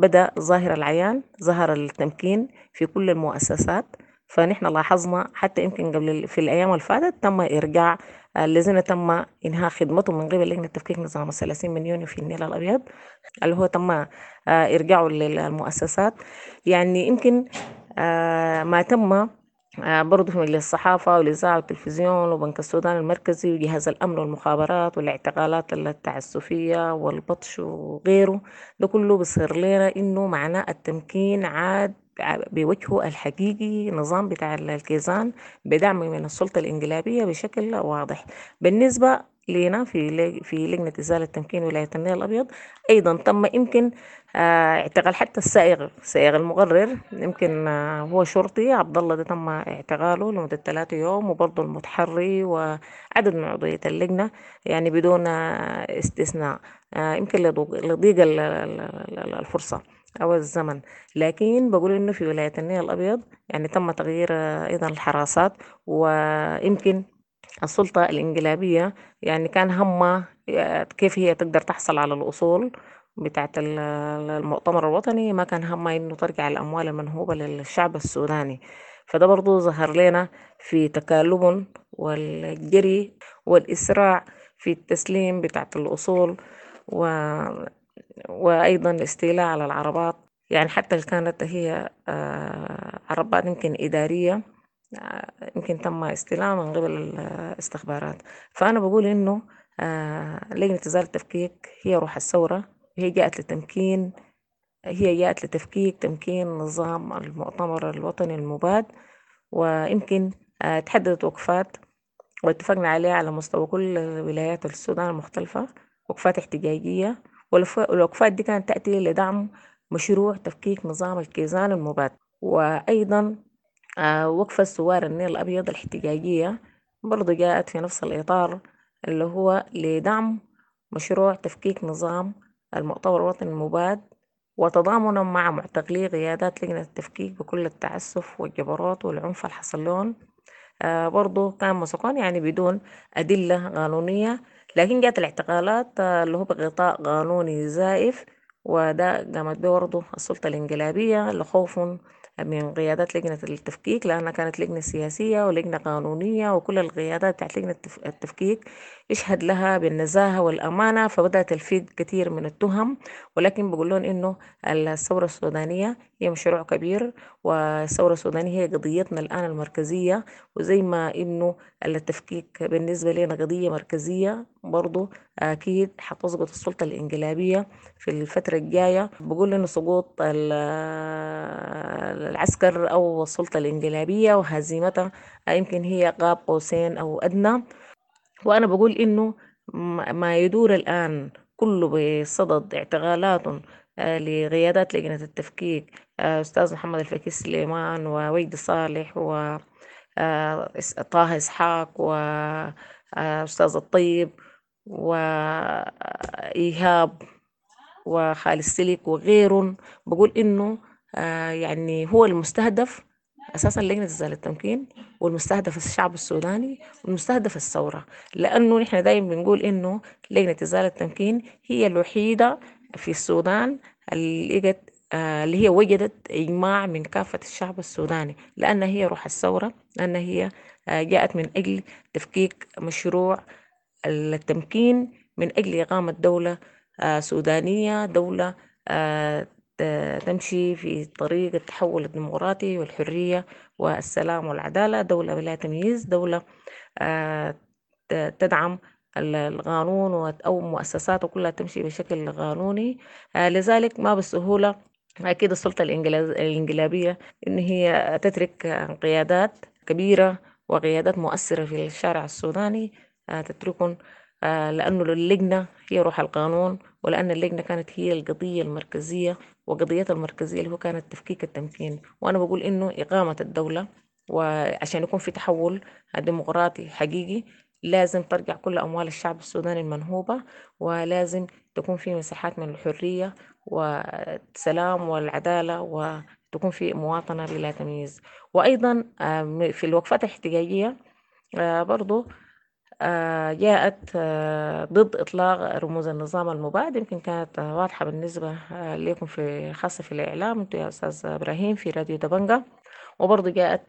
بدأ ظاهر العيان، ظهر التمكين في كل المؤسسات. فنحن لاحظنا حتى يمكن قبل في الأيام اللي فاتت تم إرجاع الذين تم إنهاء خدمتهم من قبل لجنة تفكيك نظام الثلاثين من يونيو في النيل الأبيض، اللي هو تم إرجاعه للمؤسسات. يعني يمكن ما تم برضه في مجلس الصحافة والإذاعة والتلفزيون وبنك السودان المركزي وجهاز الأمن والمخابرات والاعتقالات التعسفية والبطش وغيره، ده كله بيصير لنا إنه معناه التمكين عاد بوجهه الحقيقي، نظام بتاع الكيزان بدعم من السلطة الإنقلابية بشكل واضح. بالنسبة لنا في في لجنة إزالة تمكين ولاية النيل الأبيض، أيضا تم يمكن اعتقال حتى السائق سائق المقرر، يمكن هو شرطي عبد الله، ده تم اعتقاله لمدة ثلاثة يوم، وبرضه المتحري وعدد من عضوية اللجنة يعني بدون استثناء، يمكن لضيق الفرصة أو الزمن. لكن بقول إنه في ولاية النيل الأبيض يعني تم تغيير أيضا الحراسات، ويمكن السلطة الإنقلابية يعني كان همها كيف هي تقدر تحصل على الأصول بتاعت المؤتمر الوطني، ما كان همها إنه ترجع الأموال المنهوبة للشعب السوداني. فده برضو ظهر لنا في تكالب والجري والإسراع في التسليم بتاعت الأصول، و... وأيضا الاستيلاء على العربات، يعني حتى اللي كانت هي عربات يمكن إدارية يمكن تم استلامها من قبل الاستخبارات. فأنا بقول إنه لجنة إزالة التفكيك هي روح الثورة، هي جاءت لتمكين، هي جاءت لتفكيك تمكين نظام المؤتمر الوطني المباد. ويمكن تحددت وقفات واتفقنا عليها على مستوى كل ولايات السودان المختلفة، وقفات احتجاجية، والوقفات دي كانت تأتي لدعم مشروع تفكيك نظام الكيزان المباد. وأيضا وقفة ثوار النيل الأبيض الاحتجاجية برضو جاءت في نفس الإطار اللي هو لدعم مشروع تفكيك نظام المؤتمر الوطني المباد، وتضامنا مع معتقلي قيادات لجنة التفكيك بكل التعسف والجبروت والعنف اللي حصل لهم. آه برضو كان مسكون يعني بدون أدلة قانونية، لكن جاءت الاعتقالات آه اللي هو بغطاء قانوني زائف، وده قامت به برضو السلطة الإنقلابية لخوف من قيادات لجنة التفكيك، لأنها كانت لجنة سياسية ولجنة قانونية، وكل القيادات بتاعت لجنة التفكيك يشهد لها بالنزاهة والأمانة، فبدأت تلفيق كثير من التهم. ولكن بقول لهم إنه الثورة السودانية هي مشروع كبير، والثورة السودانية هي قضيتنا الآن المركزية، وزي ما إنه التفكيك بالنسبة لنا قضية مركزية برضو أكيد حتسقط السلطة الإنقلابية في الفترة الجاية. بقول إنه سقوط العسكر أو السلطة الإنقلابية وهزيمتها يمكن هي قاب قوسين أو أدنى. وأنا بقول إنه ما يدور الآن كله بصدد اعتقالات لقيادات لجنة التفكيك، أستاذ محمد الفكي سليمان ووجدي صالح وطه إسحاق وأستاذ الطيب وإيهاب وخالد سلك وغيرهم، بقول إنه يعني هو المستهدف أساسا لجنة إزالة التمكين، والمستهدف الشعب السوداني، والمستهدف الثورة، لأنه نحن دايما بنقول إنه لجنة إزالة التمكين هي الوحيدة في السودان اللي اللي هي وجدت إجماع من كافة الشعب السوداني، لأن هي روح الثورة، لأن هي جاءت من أجل تفكيك مشروع التمكين، من أجل إقامة دولة سودانية، دولة تمشي في طريق التحول الديمقراطي والحرية والسلام والعدالة، دولة بلا تمييز، دولة تدعم القانون أو مؤسساته كلها تمشي بشكل قانوني. لذلك ما بالسهولة أكيد السلطة الانقلابية إن هي تترك قيادات كبيرة وقيادات مؤثرة في الشارع السوداني تتركهم، لأنه اللجنة هي روح القانون، ولأن اللجنة كانت هي القضية المركزية، وقضيتها المركزية اللي هو كانت تفكيك التمكين. وأنا بقول إنه إقامة الدولة وعشان يكون في تحول ديمقراطي حقيقي لازم ترجع كل أموال الشعب السوداني المنهوبة، ولازم تكون في مساحات من الحرية والسلام والعدالة، وتكون في مواطنة بلا تمييز. وأيضا في الوقفات الاحتجاجية برضو جاءت ضد إطلاق رموز النظام المباد، يمكن كانت واضحة بالنسبة لكم في خاصة في الإعلام أنتوا يا أستاذ إبراهيم في راديو دبنجة. وبرضو جاءت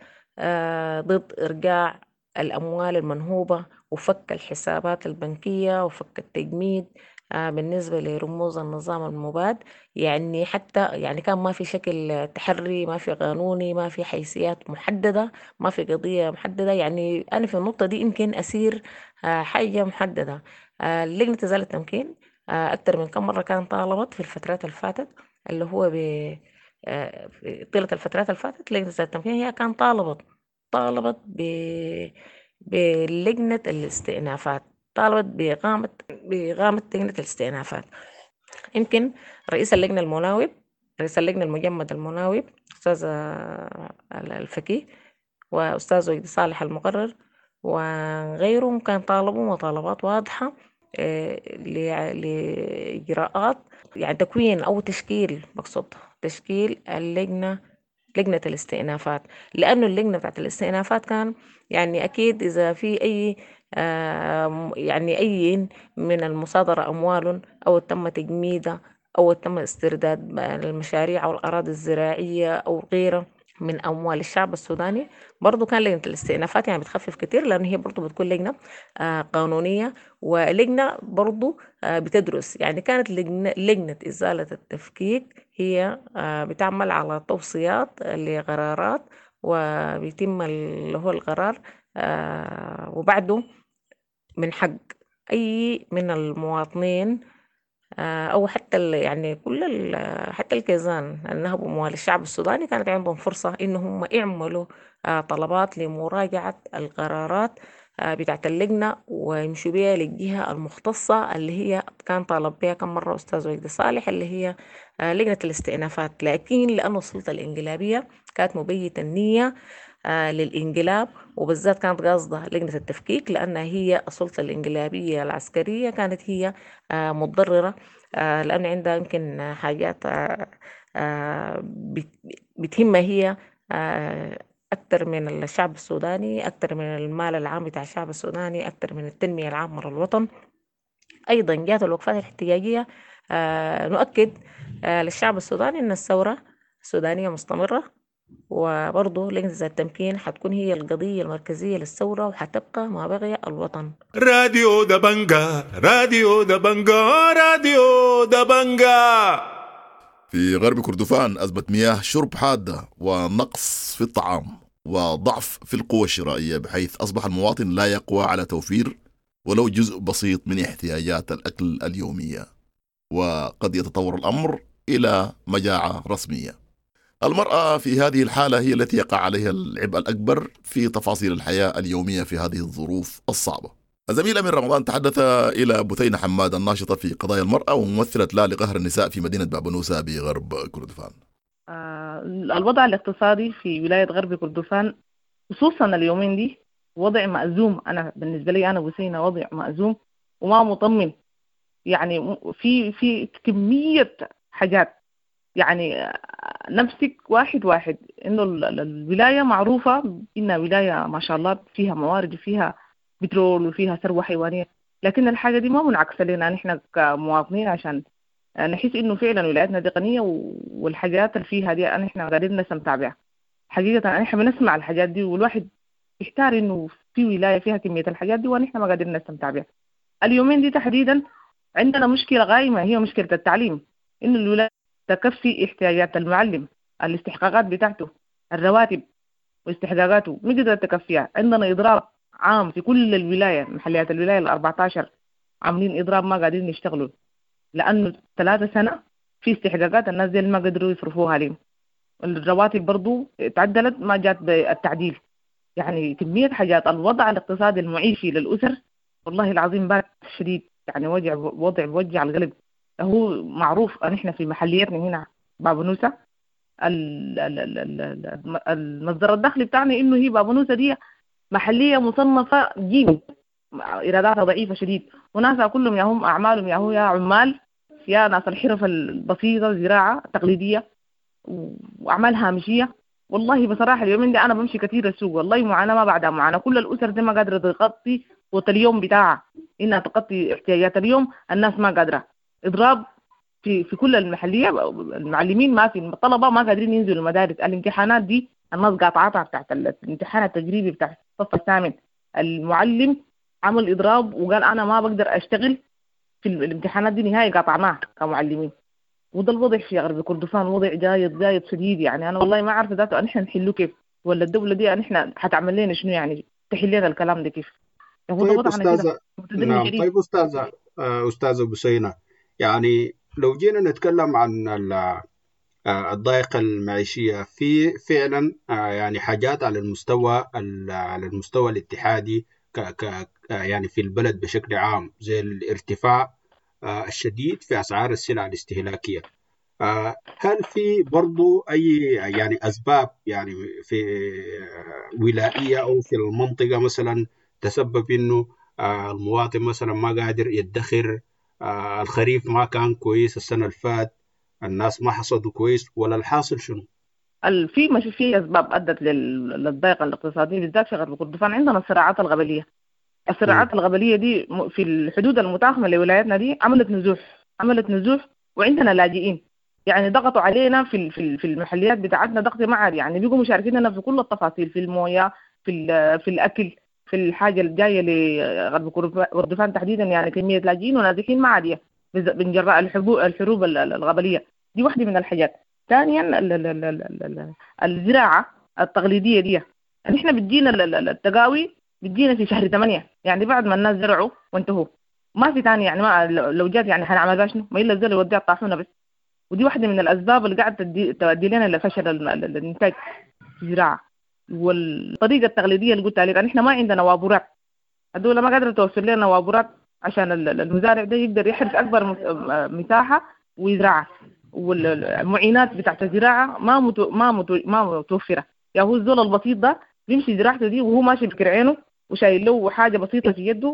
ضد إرجاع الأموال المنهوبة وفك الحسابات البنكية وفك التجميد بالنسبة لرموز النظام المباد. يعني حتى يعني كان ما في شكل تحري، ما في قانوني، ما في حيثيات محددة، ما في قضية محددة. يعني أنا في النقطة دي يمكن أسير حاجة محددة. لجنة إزالة التمكين أكثر من كم مرة كان طالبت في الفترات الفاتت اللي هو ب طيلة الفترات الفاتت لجنة إزالة التمكين هي كان طالبت طالبت ب بلجنة الاستئنافات، طالبت بإقامة بإقامة لجنة الاستئنافات. يمكن رئيس اللجنة المناوب، رئيس اللجنة المجمد المناوب أستاذ الفكي وأستاذ وجدي صالح المقرر وغيرهم كان طالبوا مطالبات واضحة لإجراءات يعني تكوين أو تشكيل، بقصد تشكيل اللجنة لجنة الاستئنافات، لأنه اللجنة بتاعت الاستئنافات كان يعني أكيد إذا في أي آه يعني أي من المصادرة أموال أو تم تجميدها أو تم استرداد المشاريع أو الأراضي الزراعية أو غيرها من أموال الشعب السوداني، برضو كان لجنة الاستئنافات يعني بتخفف كتير، لأن هي برضو بتكون لجنة آه قانونية ولجنة برضو آه بتدرس. يعني كانت لجنة, لجنة إزالة التفكيك هي آه بتعمل على توصيات لقرارات وبيتم اللي هو القرار آه وبعده من حق أي من المواطنين أو حتى يعني كل حتى الكيزان النهبوا أموال الشعب السوداني كانت عندهم فرصة إنهم يعملوا طلبات لمراجعة القرارات بتاعت اللجنة ويمشوا بها للجهة المختصة اللي هي كان طالب بها كم مرة أستاذ وجدي صالح اللي هي لجنة الاستئنافات. لكن لأن السلطة الانقلابية كانت مبيتة النية للانقلاب، وبالذات كانت قاصدة لجنة التفكيك لأنها هي السلطة الانقلابية العسكرية كانت هي متضررة لأن عندها يمكن حاجات بتهمها هي أكثر من الشعب السوداني، أكثر من المال العام بتاع الشعب السوداني، أكثر من التنمية العامة للوطن. أيضا جاءت الوقفات الاحتجاجية نؤكد للشعب السوداني أن الثورة السودانية مستمرة، وبرضه لجنة التمكين حتكون هي القضية المركزية للثورة وحتبقى ما بغي الوطن. راديو دبنجا، راديو دبنجا، راديو دبنجا. في غرب كردفان أزمة مياه شرب حادة ونقص في الطعام وضعف في القوة الشرائية، بحيث أصبح المواطن لا يقوى على توفير ولو جزء بسيط من احتياجات الأكل اليومية، وقد يتطور الأمر إلى مجاعة رسمية. المرأة في هذه الحالة هي التي يقع عليها العبء الأكبر في تفاصيل الحياة اليومية في هذه الظروف الصعبة. الزميل أمين رمضان تحدث إلى بثينة حماد الناشطة في قضايا المرأة وممثلة لا لقهر النساء في مدينة بابنوسة بغرب كردفان. آه الوضع الاقتصادي في ولاية غرب كردفان خصوصا اليومين دي وضع مأزوم. أنا بالنسبة لي أنا بثينة وضع مأزوم وما مطمن. يعني في في كمية حاجات، يعني نفسك واحد واحد إنه الولاية معروفة إنها ولاية ما شاء الله فيها موارد وفيها بترول وفيها ثروة حيوانية، لكن الحاجة دي ما منعكسة لنا نحن كمواطنين عشان نحس إنه فعلا ولايتنا دي غنية والحاجات اللي فيها دي نحن قادرين نستمتع بها. حقيقة نحن بنسمع الحاجات دي والواحد يحتار إنه في ولاية فيها كمية الحاجات دي ونحن ما قادرين نستمتع بها. اليومين دي تحديدا عندنا مشكلة غايمة، هي مشكلة التعليم، إنه الولاية تكفي احتياجات المعلم، الاستحقاقات بتاعته، الرواتب واستحقاقاته ما قدرت تكفيها. عندنا إضراب عام في كل الولاية، محليات الولاية الأربعة عشر عاملين إضراب، ما قادرين يشتغلوا لأنه ثلاثة سنة في استحقاقات الناس دي ما قدروا يصرفوها لهم. الرواتب برضو تعدلت ما جات بالتعديل. يعني كمية حاجات. الوضع الاقتصادي المعيشي للأسر والله العظيم بات شديد، يعني وجع وضع بوجع القلب. هو معروف ان احنا في محليتنا هنا بابنوسة المصدر الدخل بتاعنا انه هي بابنوسة دي محلية مصنفة جيم، ايراداتها ضعيفة شديد، وناسها كلهم يا هم اعمالهم يا هو يا عمال يا ناس الحرف البسيطة، الزراعة التقليدية واعمال هامشية. والله بصراحة اليومين دي انا بمشي كثير السوق، والله معاناة ما بعدها معاناة. كل الاسر دي ما قادرة تغطي قوت اليوم بتاعها، انها تغطي احتياجات اليوم، الناس ما قادرة. اضراب في في كل المحلية، المعلمين ما في، الطلبة ما قادرين ينزلوا المدارس. الامتحانات دي الناس قاطعتها بتاعت الامتحان التجريبي بتاع الصف الثامن. المعلم عمل اضراب وقال انا ما بقدر اشتغل في الامتحانات دي نهائي، قاطعناها كمعلمين. وده الوضع في غرب كردفان، وضع جايد جايد شديد. يعني انا والله ما عارفه ذاته نحن نحله كيف، ولا الدولة دي نحن حتعمل لنا شنو، يعني تحل لنا الكلام ده كيف. طيب استاذه، نعم طيب استاذه استاذه بثينه، يعني لو جينا نتكلم عن الضائقة المعيشية، في فعلا يعني حاجات على المستوى على المستوى الاتحادي ك ك يعني في البلد بشكل عام، زي الارتفاع الشديد في أسعار السلع الاستهلاكية. هل في برضو أي يعني أسباب يعني في ولائية أو في المنطقة مثلا تسبب إنه المواطن مثلا ما قادر يدخر، الخريف ما كان كويس السنة الفات، الناس ما حصدوا كويس، ولا الحاصل شنو؟ في مش في أسباب أدت للضائقة الاقتصادية بالذات في غرب كردفان. عندنا الصراعات الغبلية، الصراعات الغبلية دي في الحدود المتاخمة لولايتنا دي عملت نزوح، عملت نزوح، وعندنا لاجئين. يعني ضغطوا علينا في في المحليات بتاعتنا ضغط ما عادي، يعني بيجوا مشاركيننا في كل التفاصيل، في المويه، في في الاكل، في الحاجة الجاية لغرب كردفان تحديدا. يعني كمية لاجئين ونازحين ما عادية من جراء الحروب الغبليه دي، واحدة من الحاجات. ثانيا الزراعة التقليدية دي، نحن بتجينا التقاوي بتجينا في شهر ثمانية، يعني بعد ما الناس زرعوا وانتهوا، ما في ثاني. يعني ما لو جات يعني حنعمل شنو؟ ما الا الزول يوديها الطاحونه بس. ودي واحدة من الاسباب اللي قاعدة تؤدي لنا لفشل الانتاج في الزراعة. والطريقة التقليدية اللي قلت عليك، نحن ما عندنا وابورات، الدولة ما قادرة توفر لنا وابورات عشان المزارع ده يقدر يحرث اكبر مساحة ويزرعها، والمعينات بتاعت الزراعة ما متو ما متو ما متوفرة. يا هو الزول البسيط ده بيمشي زراعته دي وهو ماشي بكرعينه وشايل له حاجة بسيطة في يده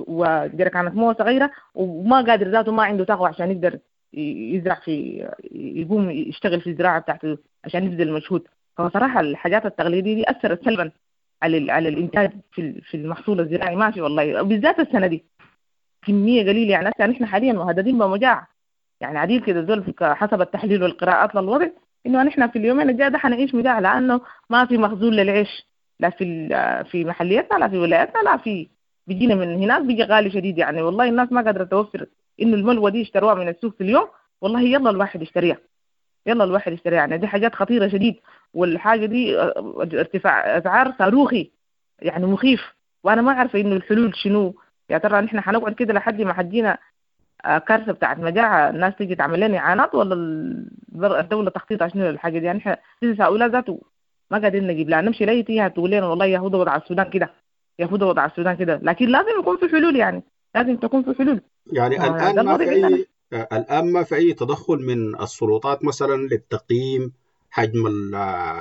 وجركانه مويه صغيرة، وما قادر ذاته، ما عنده طاقة عشان يقدر يزرع في يقوم يشتغل في الزراعة بتاعته عشان يبذل مجهود. فصراحة الحاجات التقليدية دي اثرت سلبا على على الانتاج في في المحصول الزراعي. ماشي والله، بالذات السنة دي كمية قليله. يعني هسه نحن حاليا مهددين بمجاعه، يعني عديل كده زول حسب التحليل والقراءات للوضع انه نحن في اليومين الجاية ده حنعيش مجاعة، لانه ما في مخزون للعيش، لا في في محلياتنا لا في ولاياتنا لا في، بيجينا من هناك بيجي غالي شديد. يعني والله الناس ما قادرة توفر انه الملوى دي يشتروها من السوق في اليوم، والله يلا الواحد يشتريها، يلا الواحد يشتريها. يعني دي حاجات خطيرة شديد، والحاجة دي ارتفاع اسعار صاروخي يعني مخيف. وانا ما عارفه انه الحلول شنو. يا ترى نحن حنقعد كده لحد ما حجينا كارثة بتاعت مجاعة، الناس تيجي تعمل لنا اعانات، ولا الدولة تخطيطها شنو للحاجة دي؟ يعني احنا لسه هؤلاء ذاته ما قادرين نجيب لها، نمشي ليتيها تقول لنا والله يا هدى وضع السودان كده، يا هدى وضع السودان كده. لكن لازم يكون في حلول، يعني لازم تكون في حلول. يعني الان ما في اي الان ما في اي تدخل من السلطات مثلا للتقييم حجم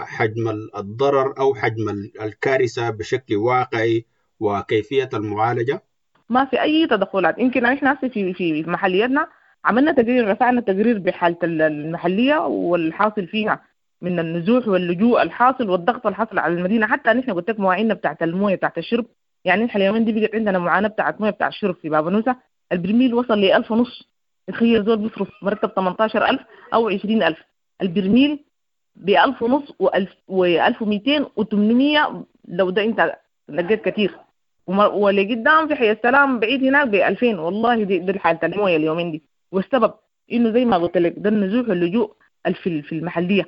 حجم الضرر او حجم الكارثة بشكل واقعي وكيفية المعالجة؟ ما في اي تدخلات. يمكن احنا في في محلياتنا عملنا تقرير، رفعنا تقرير بحاله المحلية والحاصل فيها من النزوح واللجوء الحاصل والضغط الحاصل على المدينة. حتى نحن قلت لك مواعيننا بتاعت المويه بتاعت الشرب، يعني نحن اليومين دي بقت عندنا معاناة بتاعت مويه بتاع الشرب في بابنوسه. البرميل وصل ل ألف ونص، تخيل زول بيصرف مرتب ثمانية عشر ألف او عشرين ألف، البرميل ب ألف ونص و ألف ومئتين وثمانمية لو ده انت لقيت كثير. ولقدام في حي السلام بعيد هناك ب ألفين. والله دي, دي حاله المويه اليومين دي. والسبب إنه زي ما قلت لك ده النزوح واللجوء في في المحلية،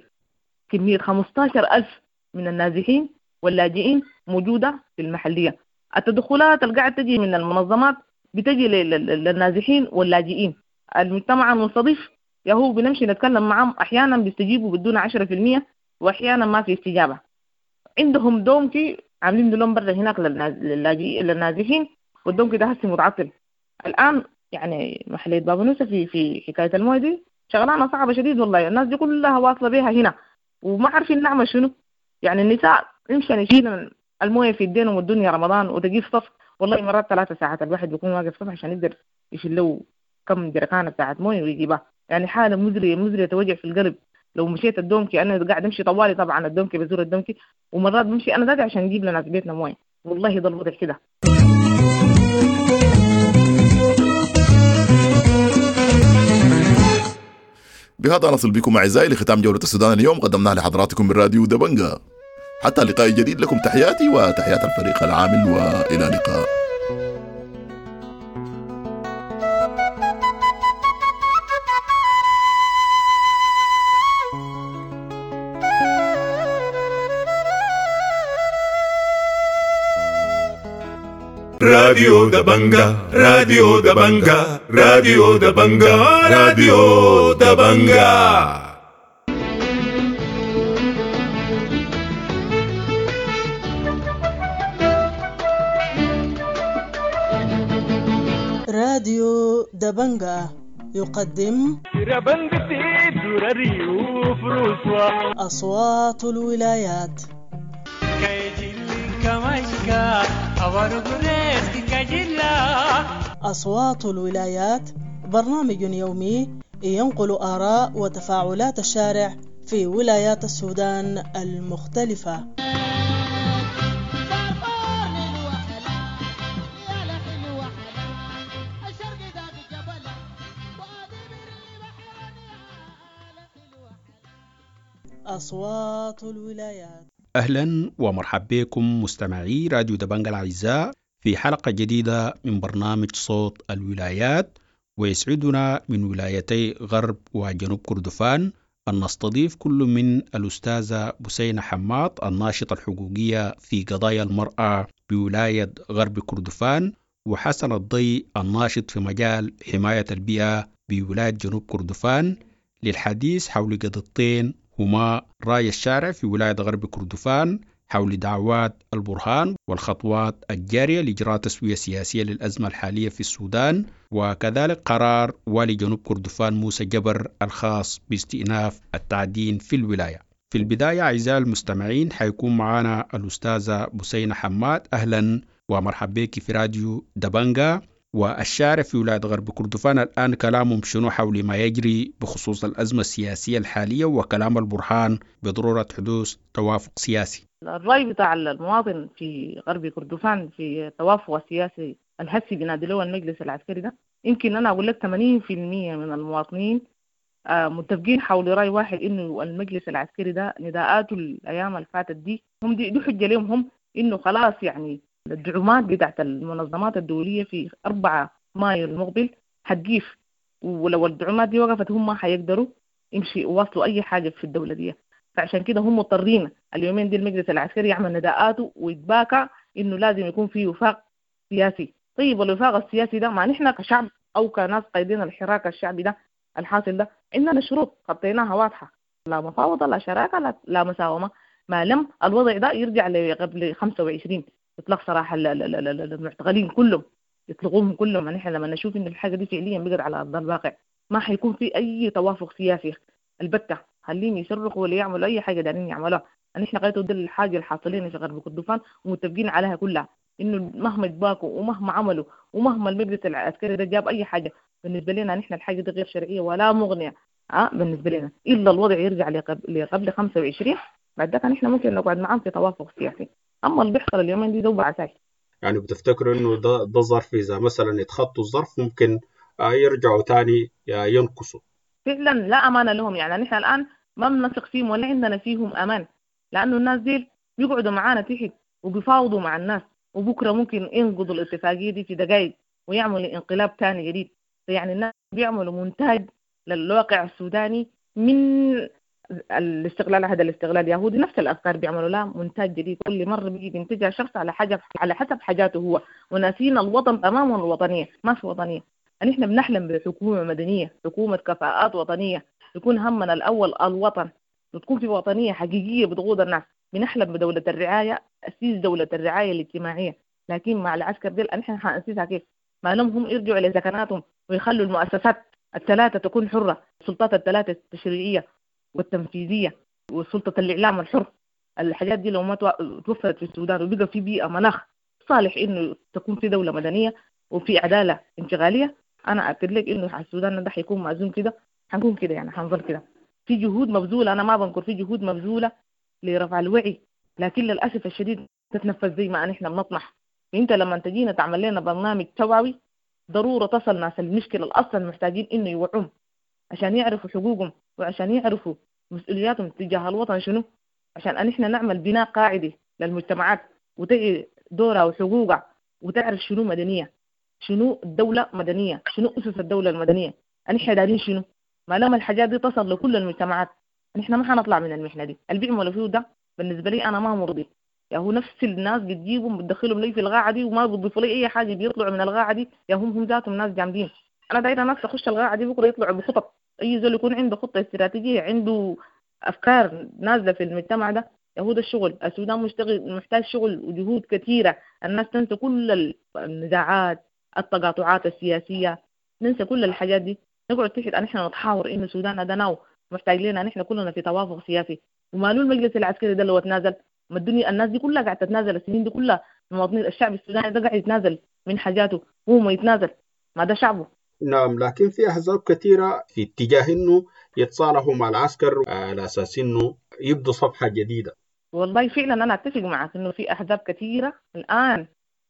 كمية خمستاشر ألف من النازحين واللاجئين موجودة في المحلية. التدخلات اللي قاعدة تجي من المنظمات بتجي للنازحين واللاجئين. المجتمع المستضيف يهو بنمشي نتكلم معهم، أحيانا بيستجيبوا بدون عشرة في المية وأحيانا ما في استجابة. عندهم دومكي عاملين لهم برا هناك للاجئين للنازحين، والدومكي ده هسه متعطل الآن. يعني محلية بابنوسة في في حكاية المويه دي شغلانة صعبة شديد والله، الناس دي كلها واصلة بيها هنا وما عارفين نعمل شنو. يعني النساء يمشي يشيلن المويه في الدين والدنيا رمضان وتجيب صف، والله مرات ثلاثة ساعات الواحد بيكون واقف صف عشان يقدر يشيل له كم جركانة بتاعت مويه ويجيبها. يعني حالة مزرية مزرية توجع في القلب. لو مشيت الدومكي أنا قاعد أمشي طوالي طبعا الدومكي بزور الدومكي، ومرات بمشي أنا ذاتي عشان أجيب لناس بيتنا مويه. والله ده الوضع كده. بهذا نصل بكم أعزائي لختام جولة السودان اليوم قدمناها لحضراتكم من راديو دبنجا. حتى لقاء جديد، لكم تحياتي وتحيات الفريق العامل، وإلى اللقاء. راديو دبنجا، راديو دبنجا، راديو دبنجا، راديو دبنجا. راديو دبنجا يقدم أصوات الولايات. أصوات الولايات برنامج يومي ينقل آراء وتفاعلات الشارع في ولايات السودان المختلفة. أصوات الولايات. أهلا ومرحبا بكم مستمعي راديو دبنجا الأعزاء في حلقة جديدة من برنامج صوت الولايات، ويسعدنا من ولايتي غرب وجنوب كردفان أن نستضيف كل من الأستاذة بثينة حماد الناشطة الحقوقية في قضايا المرأة بولاية غرب كردفان، وحسن الضي الناشط في مجال حماية البيئة بولاية جنوب كردفان، للحديث حول قضيتين هما رأي الشارع في ولاية غرب كردفان حول دعوات البرهان والخطوات الجارية لإجراء تسوية سياسية للأزمة الحالية في السودان، وكذلك قرار والي جنوب كردفان موسى جبر الخاص باستئناف التعدين في الولاية. في البداية أعزائي المستمعين حيكون معنا الأستاذة بثينة حماد. أهلا ومرحبا بك في راديو دبنجا. والشارع في ولاية غرب كردفان الآن كلامهم شنو حول ما يجري بخصوص الأزمة السياسية الحالية وكلام البرهان بضرورة حدوث توافق سياسي؟ الرأي بتاع المواطن في غرب كردفان في التوافق السياسي الهسي بنادي له المجلس العسكري ده، يمكن أنا أقول لك ثمانين بالمية من المواطنين متفقين حول رأي واحد، إنه المجلس العسكري ده نداءاته الأيام اللي فاتت دي هم دي, دي حجة لهم هم إنه خلاص يعني الدعومات بتاعت المنظمات الدولية في أربعة مايو المقبل حتجيف، ولو الدعومات دي وقفت هم ما حيقدروا يمشي يواصلوا أي حاجة في الدولة دي. فعشان كده هم مضطرين اليومين دي المجلس العسكري يعمل نداءاته ويتباكى إنه لازم يكون في وفاق سياسي. طيب الوفاق السياسي ده ما نحن كشعب أو كناس قايدين الحراك الشعبي ده الحاصل ده عندنا شروط حطيناها واضحة، لا مفاوضة لا شراكة لا, لا مساومة، ما لم الوضع ده يرجع لقبل خمسة وعشرين اطلاق صراحة المعتقلين كلهم يطلقوهم كلهم. نحن لما نشوف ان الحاجة دي فعليا بقت على ارض الواقع ما حيكون في اي توافق سياسي البتة، خليهم يصرخوا ولا يعملوا اي حاجة دارين يعملوها. نحن غايته دي الحاجة الحاصلين في غرب كردفان ومتفقين عليها كلها، انه مهما يتباكوا ومهما عملوا ومهما المجلس العسكري ده جاب اي حاجة بالنسبة لنا نحن الحاجة دي غير شرعية ولا مغنية أه بالنسبة لنا، الا الوضع يرجع لقبل خمسة وعشرين بعد ذاك نحن ممكن نقعد معاهم في توافق سياسي. اما اللي بيحصل اليومين دي دوب عساي. يعني بتفتكروا انه ده ده ظرف اذا مثلا يتخطوا الظرف ممكن يرجعوا تاني ينقصوا؟ فعلا لا امان لهم، يعني نحن الان ما بنثق فيهم ولا عندنا فيهم امان، لانه الناس دي بيقعدوا معانا تحت وبيفاوضوا مع الناس، وبكره ممكن ينقضوا الاتفاقية دي في دقائق ويعملوا انقلاب تاني جديد. يعني الناس بيعملوا مونتاج للواقع السوداني من الاستقلال، هذا الاستقلال اليهودي نفس الافكار بيعملوا لها منتاج جديد، كل مرة بيجي بينتجها شخص على حاجة على حسب حاجاته هو، وناسين الوطن تماما. الوطنية ما في وطنية. نحن بنحلم بحكومة مدنية، حكومة كفاءات وطنية، يكون همنا الاول الوطن، وتكون في وطنية حقيقية بتقود الناس. بنحلم بدولة الرعاية، اسيس دولة الرعاية الاجتماعية، لكن مع العسكر ديل نحن حنأسسها كيف؟ ما لهم هم يرجعوا لسكناتهم ويخلوا المؤسسات الثلاثة تكون حره، السلطات الثلاثة التشريعية والتنفيذيه وسلطة الاعلام الحر. الحاجات دي لو ما توفرت في السودان وبقى في بيئة مناخ صالح انه تكون في دولة مدنية وفي عدالة انتقالية، انا اكد لك انه السودان ده حيكون مأزوم كده، حنكون كده يعني، حنظل كده. في جهود مبذوله، انا ما بنكر في جهود مبذوله لرفع الوعي، لكن للاسف الشديد تتنفذ زي ما نحن بنطمح. انت لما تجينا تعمل لنا برنامج توعوي ضرورة تصل ناس المشكلة اصلا محتاجين انه يوعوهم عشان يعرفوا حقوقهم وعشان يعرفوا مسؤولياتهم تجاه الوطن شنو، عشان ان احنا نعمل بناء قاعدي للمجتمعات وتعي دورها وحقوقها وتعرف شنو مدنية، شنو الدولة مدنية، شنو اسس الدولة المدنية، نحن دارين شنو. ما لما الحاجات دي تصل لكل المجتمعات نحن ما حنطلع من المحنة دي. اللي بيعملوا فيه ده بالنسبة لي انا ما مرضي، يا هو نفس الناس بتجيبهم بتدخلهم لي في الغاعه دي وما بيضيفوا لي اي حاجة، بيطلعوا من الغاعه دي يا هم هم ذاتهم ناس جامدين. انا دايرة ناس تخش الغاعه دي بكره يطلعوا بخطط، اي زول يكون عنده خطه استراتيجية، عنده افكار نازله في المجتمع ده. يا هو ده الشغل. السودان مشتغل محتاج شغل وجهود كثيرة. الناس تنسى كل النزاعات، التقاطعات السياسية، ننسى كل الحاجات دي، نقعد تحت نحن نتحاور انه السودان ده ناو محتاج لنا نحن كلنا في توافق سياسي. ومالو المجلس العسكري ده لو تنازل، ما الدنيا الناس دي كلها قاعدة تتنازل السنين دي كلها، المواطنين الشعب السوداني ده قاعد يتنازل من حاجاته، هو ما يتنازل، ما ده شعبه. نعم، لكن في أحزاب كثيرة في اتجاه إنه يتصالحوا مع العسكر على أساس إنه يبدوا صفحة جديدة. والله فعلا أنا أتفق معك إنه في أحزاب كثيرة الآن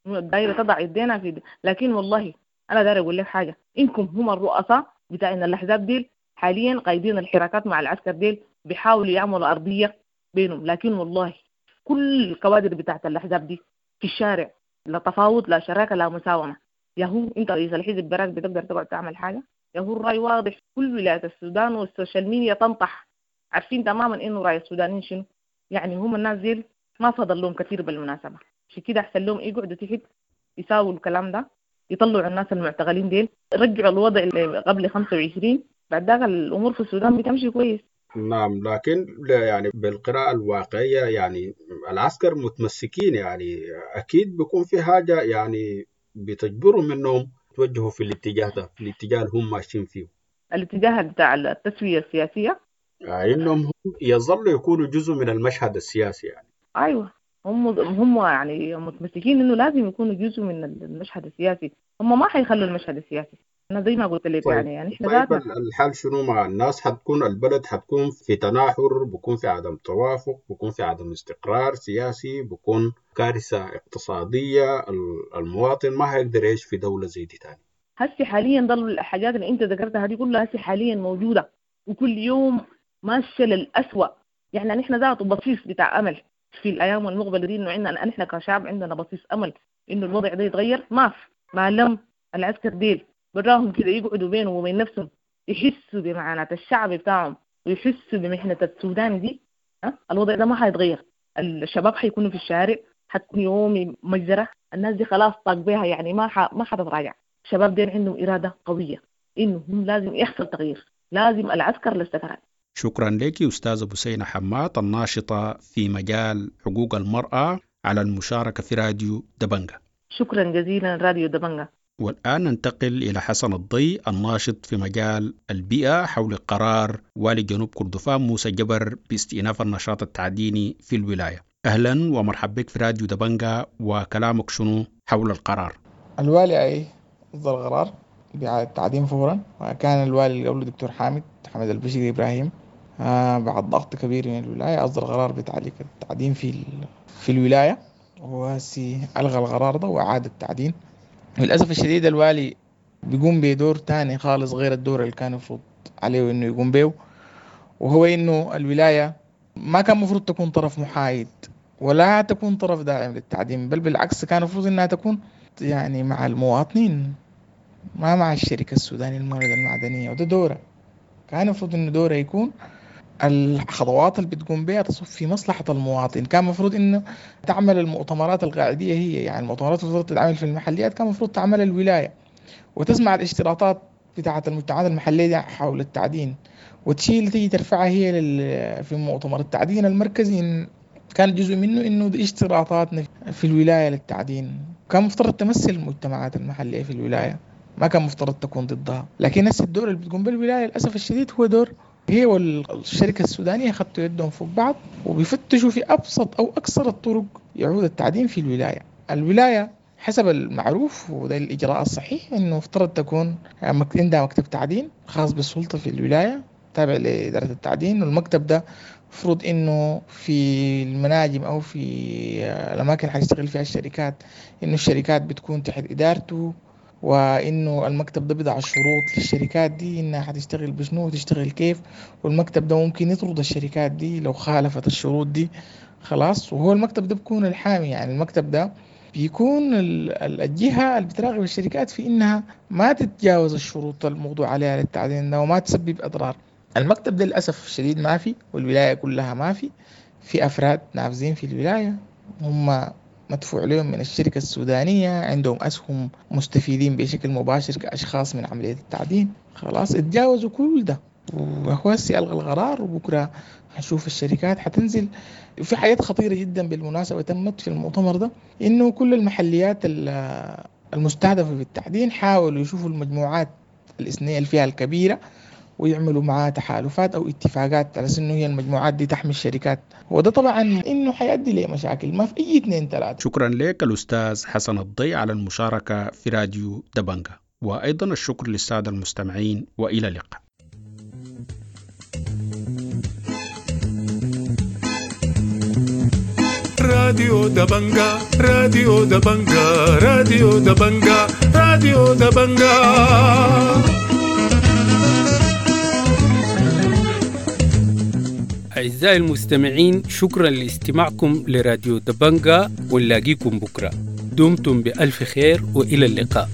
دايرة تضع يدينا في دي. لكن والله أنا دايرة أقول لك حاجة، إنكم هم الرؤساء بتاعنا الأحزاب ديل حاليا قايدين الحراكات مع العسكر ديل، بيحاولوا يعملوا أرضية بينهم، لكن والله كل الكوادر بتاعت الأحزاب دي في الشارع لا تفاوض لا شراكة لا مساومة. يا هو انت رئيس الحزب براك بتقدر تقعد تعمل حاجة؟ يا هو الراي واضح، كل ولايات السودان وال social media تنطح، عارفين تماما انه راي السودانيين شنو. يعني هم الناس ديل ما فضل لهم كثير بالمناسبة، عشان كده احسن لهم يقعدوا تحت يساووا الكلام ده، يطلعوا الناس المعتقلين ديل، رجعوا الوضع اللي قبل خمسة وعشرين، بعد ذاك الامور في السودان بتمشي كويس. نعم، لكن يعني بالقراءة الواقعية يعني العسكر متمسكين، يعني أكيد بيكون في حاجة يعني بتجبرهم إنهم يتوجهوا في الاتجاه ده، في الاتجاه اللي هم ماشيين فيه، الاتجاه بتاع التسوية السياسية، يعني إنهم هم يظلوا يكونوا جزء من المشهد السياسي يعني. أيوة، هم هم يعني متمسكين إنه لازم يكونوا جزء من المشهد السياسي، هم ما حيخلوا المشهد السياسي. أنا زي ما قلت لك. طيب يعني يعني إحنا طيب ذاتنا الحال شنو مع الناس؟ حتكون البلد حتكون في تناحر، بكون في عدم توافق، بكون في عدم استقرار سياسي، بكون كارثة اقتصادية، المواطن ما هيقدر يعيش في دولة زي دي تاني. هسي حاليا ضل الحاجات اللي أنت ذكرتها دي كلها هسي حاليا موجودة، وكل يوم ماشية للأسوأ. يعني نحن ذاته بصيص بتاع أمل في الأيام المقبلة دي، إنه عندنا نحن كشعب عندنا بصيص أمل إنه الوضع ده يتغير، ما في. ما لم العسكر ديل براهم كده يقعدوا بينهم وبين نفسهم يحسوا بمعاناة الشعب بتاعهم ويحسوا بمحنة السودان دي، ها؟ الوضع ده ما حيتغير. الشباب حيكونوا في الشارع، حتكون يومي مجزرة، الناس دي خلاص طاق بيها، يعني ما ح... ما حتتراجع. الشباب دي عندهم إرادة قوية إنه هم لازم يحصل تغيير، لازم العسكر للسكرات. شكرا لك أستاذة بثينة حماد الناشطة في مجال حقوق المرأة على المشاركة في راديو دبنجة. شكرا جزيلا راديو دبنجة. والآن ننتقل إلى حسن الضي الناشط في مجال البيئة حول قرار والي جنوب كردفان موسى جبر باستئناف النشاط التعديني في الولاية. أهلا ومرحبا بك في راديو دبنجة، وكلامك شنو حول القرار؟ الوالي أي أصدر قرار بإعادة التعدين فورا، وكان الوالي اللي قبله دكتور حامد حامد البشير إبراهيم آه بعد ضغط كبير من الولاية أصدر قرار بتعليق التعدين في في الولاية، وهسي ألغى القرار ده وأعاد التعدين. للأسف الشديد الوالي بيقوم بدور تاني خالص غير الدور اللي كان المفروض عليه إنه يقوم به، وهو إنه الولاية ما كان مفروض تكون طرف محايد ولا تكون طرف داعم للتعدين، بل بالعكس كان المفروض إنها تكون يعني مع المواطنين ما مع الشركة السودانية للموارد المعدنية، وده دوره. كان المفروض إنه دورها يكون الخطوات اللي بتقوم بها تصب في مصلحة المواطن. كان المفروض إنه تعمل المؤتمرات القاعدية هي، يعني المؤتمرات المفروض تتعمل في المحليات كان المفروض تعمل الولاية، وتسمع الاشتراطات بتاعة المجتمعات المحلية حول التعدين وتشيل تيجي ترفعها هي لل... في مؤتمر التعدين المركزي. إن كان جزء منه إنه دي اشتراطاتنا في الولاية للتعدين. كان مفترض تمثل المجتمعات المحلية في الولاية، ما كان مفترض تكون ضدها. لكن هسه الدور اللي بتقوم بالولاية للأسف الشديد هو دور هي والشركة السودانية خدتوا يدهم فوق بعض وبيفتشوا في أبسط أو أكثر الطرق يعود التعدين في الولاية. الولاية حسب المعروف وده الإجراء الصحيح إنه افترض تكون عندها مكتب تعدين خاص بالسلطة في الولاية تابع لإدارة التعدين، والمكتب ده مفروض إنه في المناجم أو في الأماكن اللي حتشتغل فيها الشركات إنه الشركات بتكون تحت إدارته، وإنه المكتب ده بيضع الشروط للشركات دي إنها حتشتغل بشنو وتشتغل كيف، والمكتب ده ممكن يطرد الشركات دي لو خالفت الشروط دي خلاص. وهو المكتب ده بيكون الحامي، يعني المكتب ده بيكون الجهة اللي بتراقب الشركات في إنها ما تتجاوز الشروط الموضوع عليها للتعدين ده وما تسبب أضرار. المكتب ده للأسف الشديد ما في، والولاية كلها ما في، في أفراد نافذين في الولاية هم مدفوع لهم من الشركة السودانية، عندهم أسهم مستفيدين بشكل مباشر كأشخاص من عملية التعدين. خلاص اتجاوزوا كل ده، وهو هسي ألغى القرار وبكرة هنشوف الشركات حتنزل. في حاجات خطيرة جدا بالمناسبة تمت في المؤتمر ده، إنه كل المحليات المستهدفة بالتعدين حاولوا يشوفوا المجموعات الإثنية اللي فيها الكبيرة ويعملوا معها تحالفات أو اتفاقات على أنه هي المجموعات دي تحمي الشركات، وده طبعا إنه حيؤدي لمشاكل ما في أي اثنين ثلاثة. شكرا لك الأستاذ حسن الضي على المشاركة في راديو دبنجة، وأيضا الشكر للسادة المستمعين، وإلى اللقاء. راديو دبنجة، راديو دبنجة، راديو دبنجة، راديو دبنجة. أعزائي المستمعين، شكرا لاستماعكم لراديو دبنجة، ونلاقيكم بكرة. دمتم بألف خير وإلى اللقاء.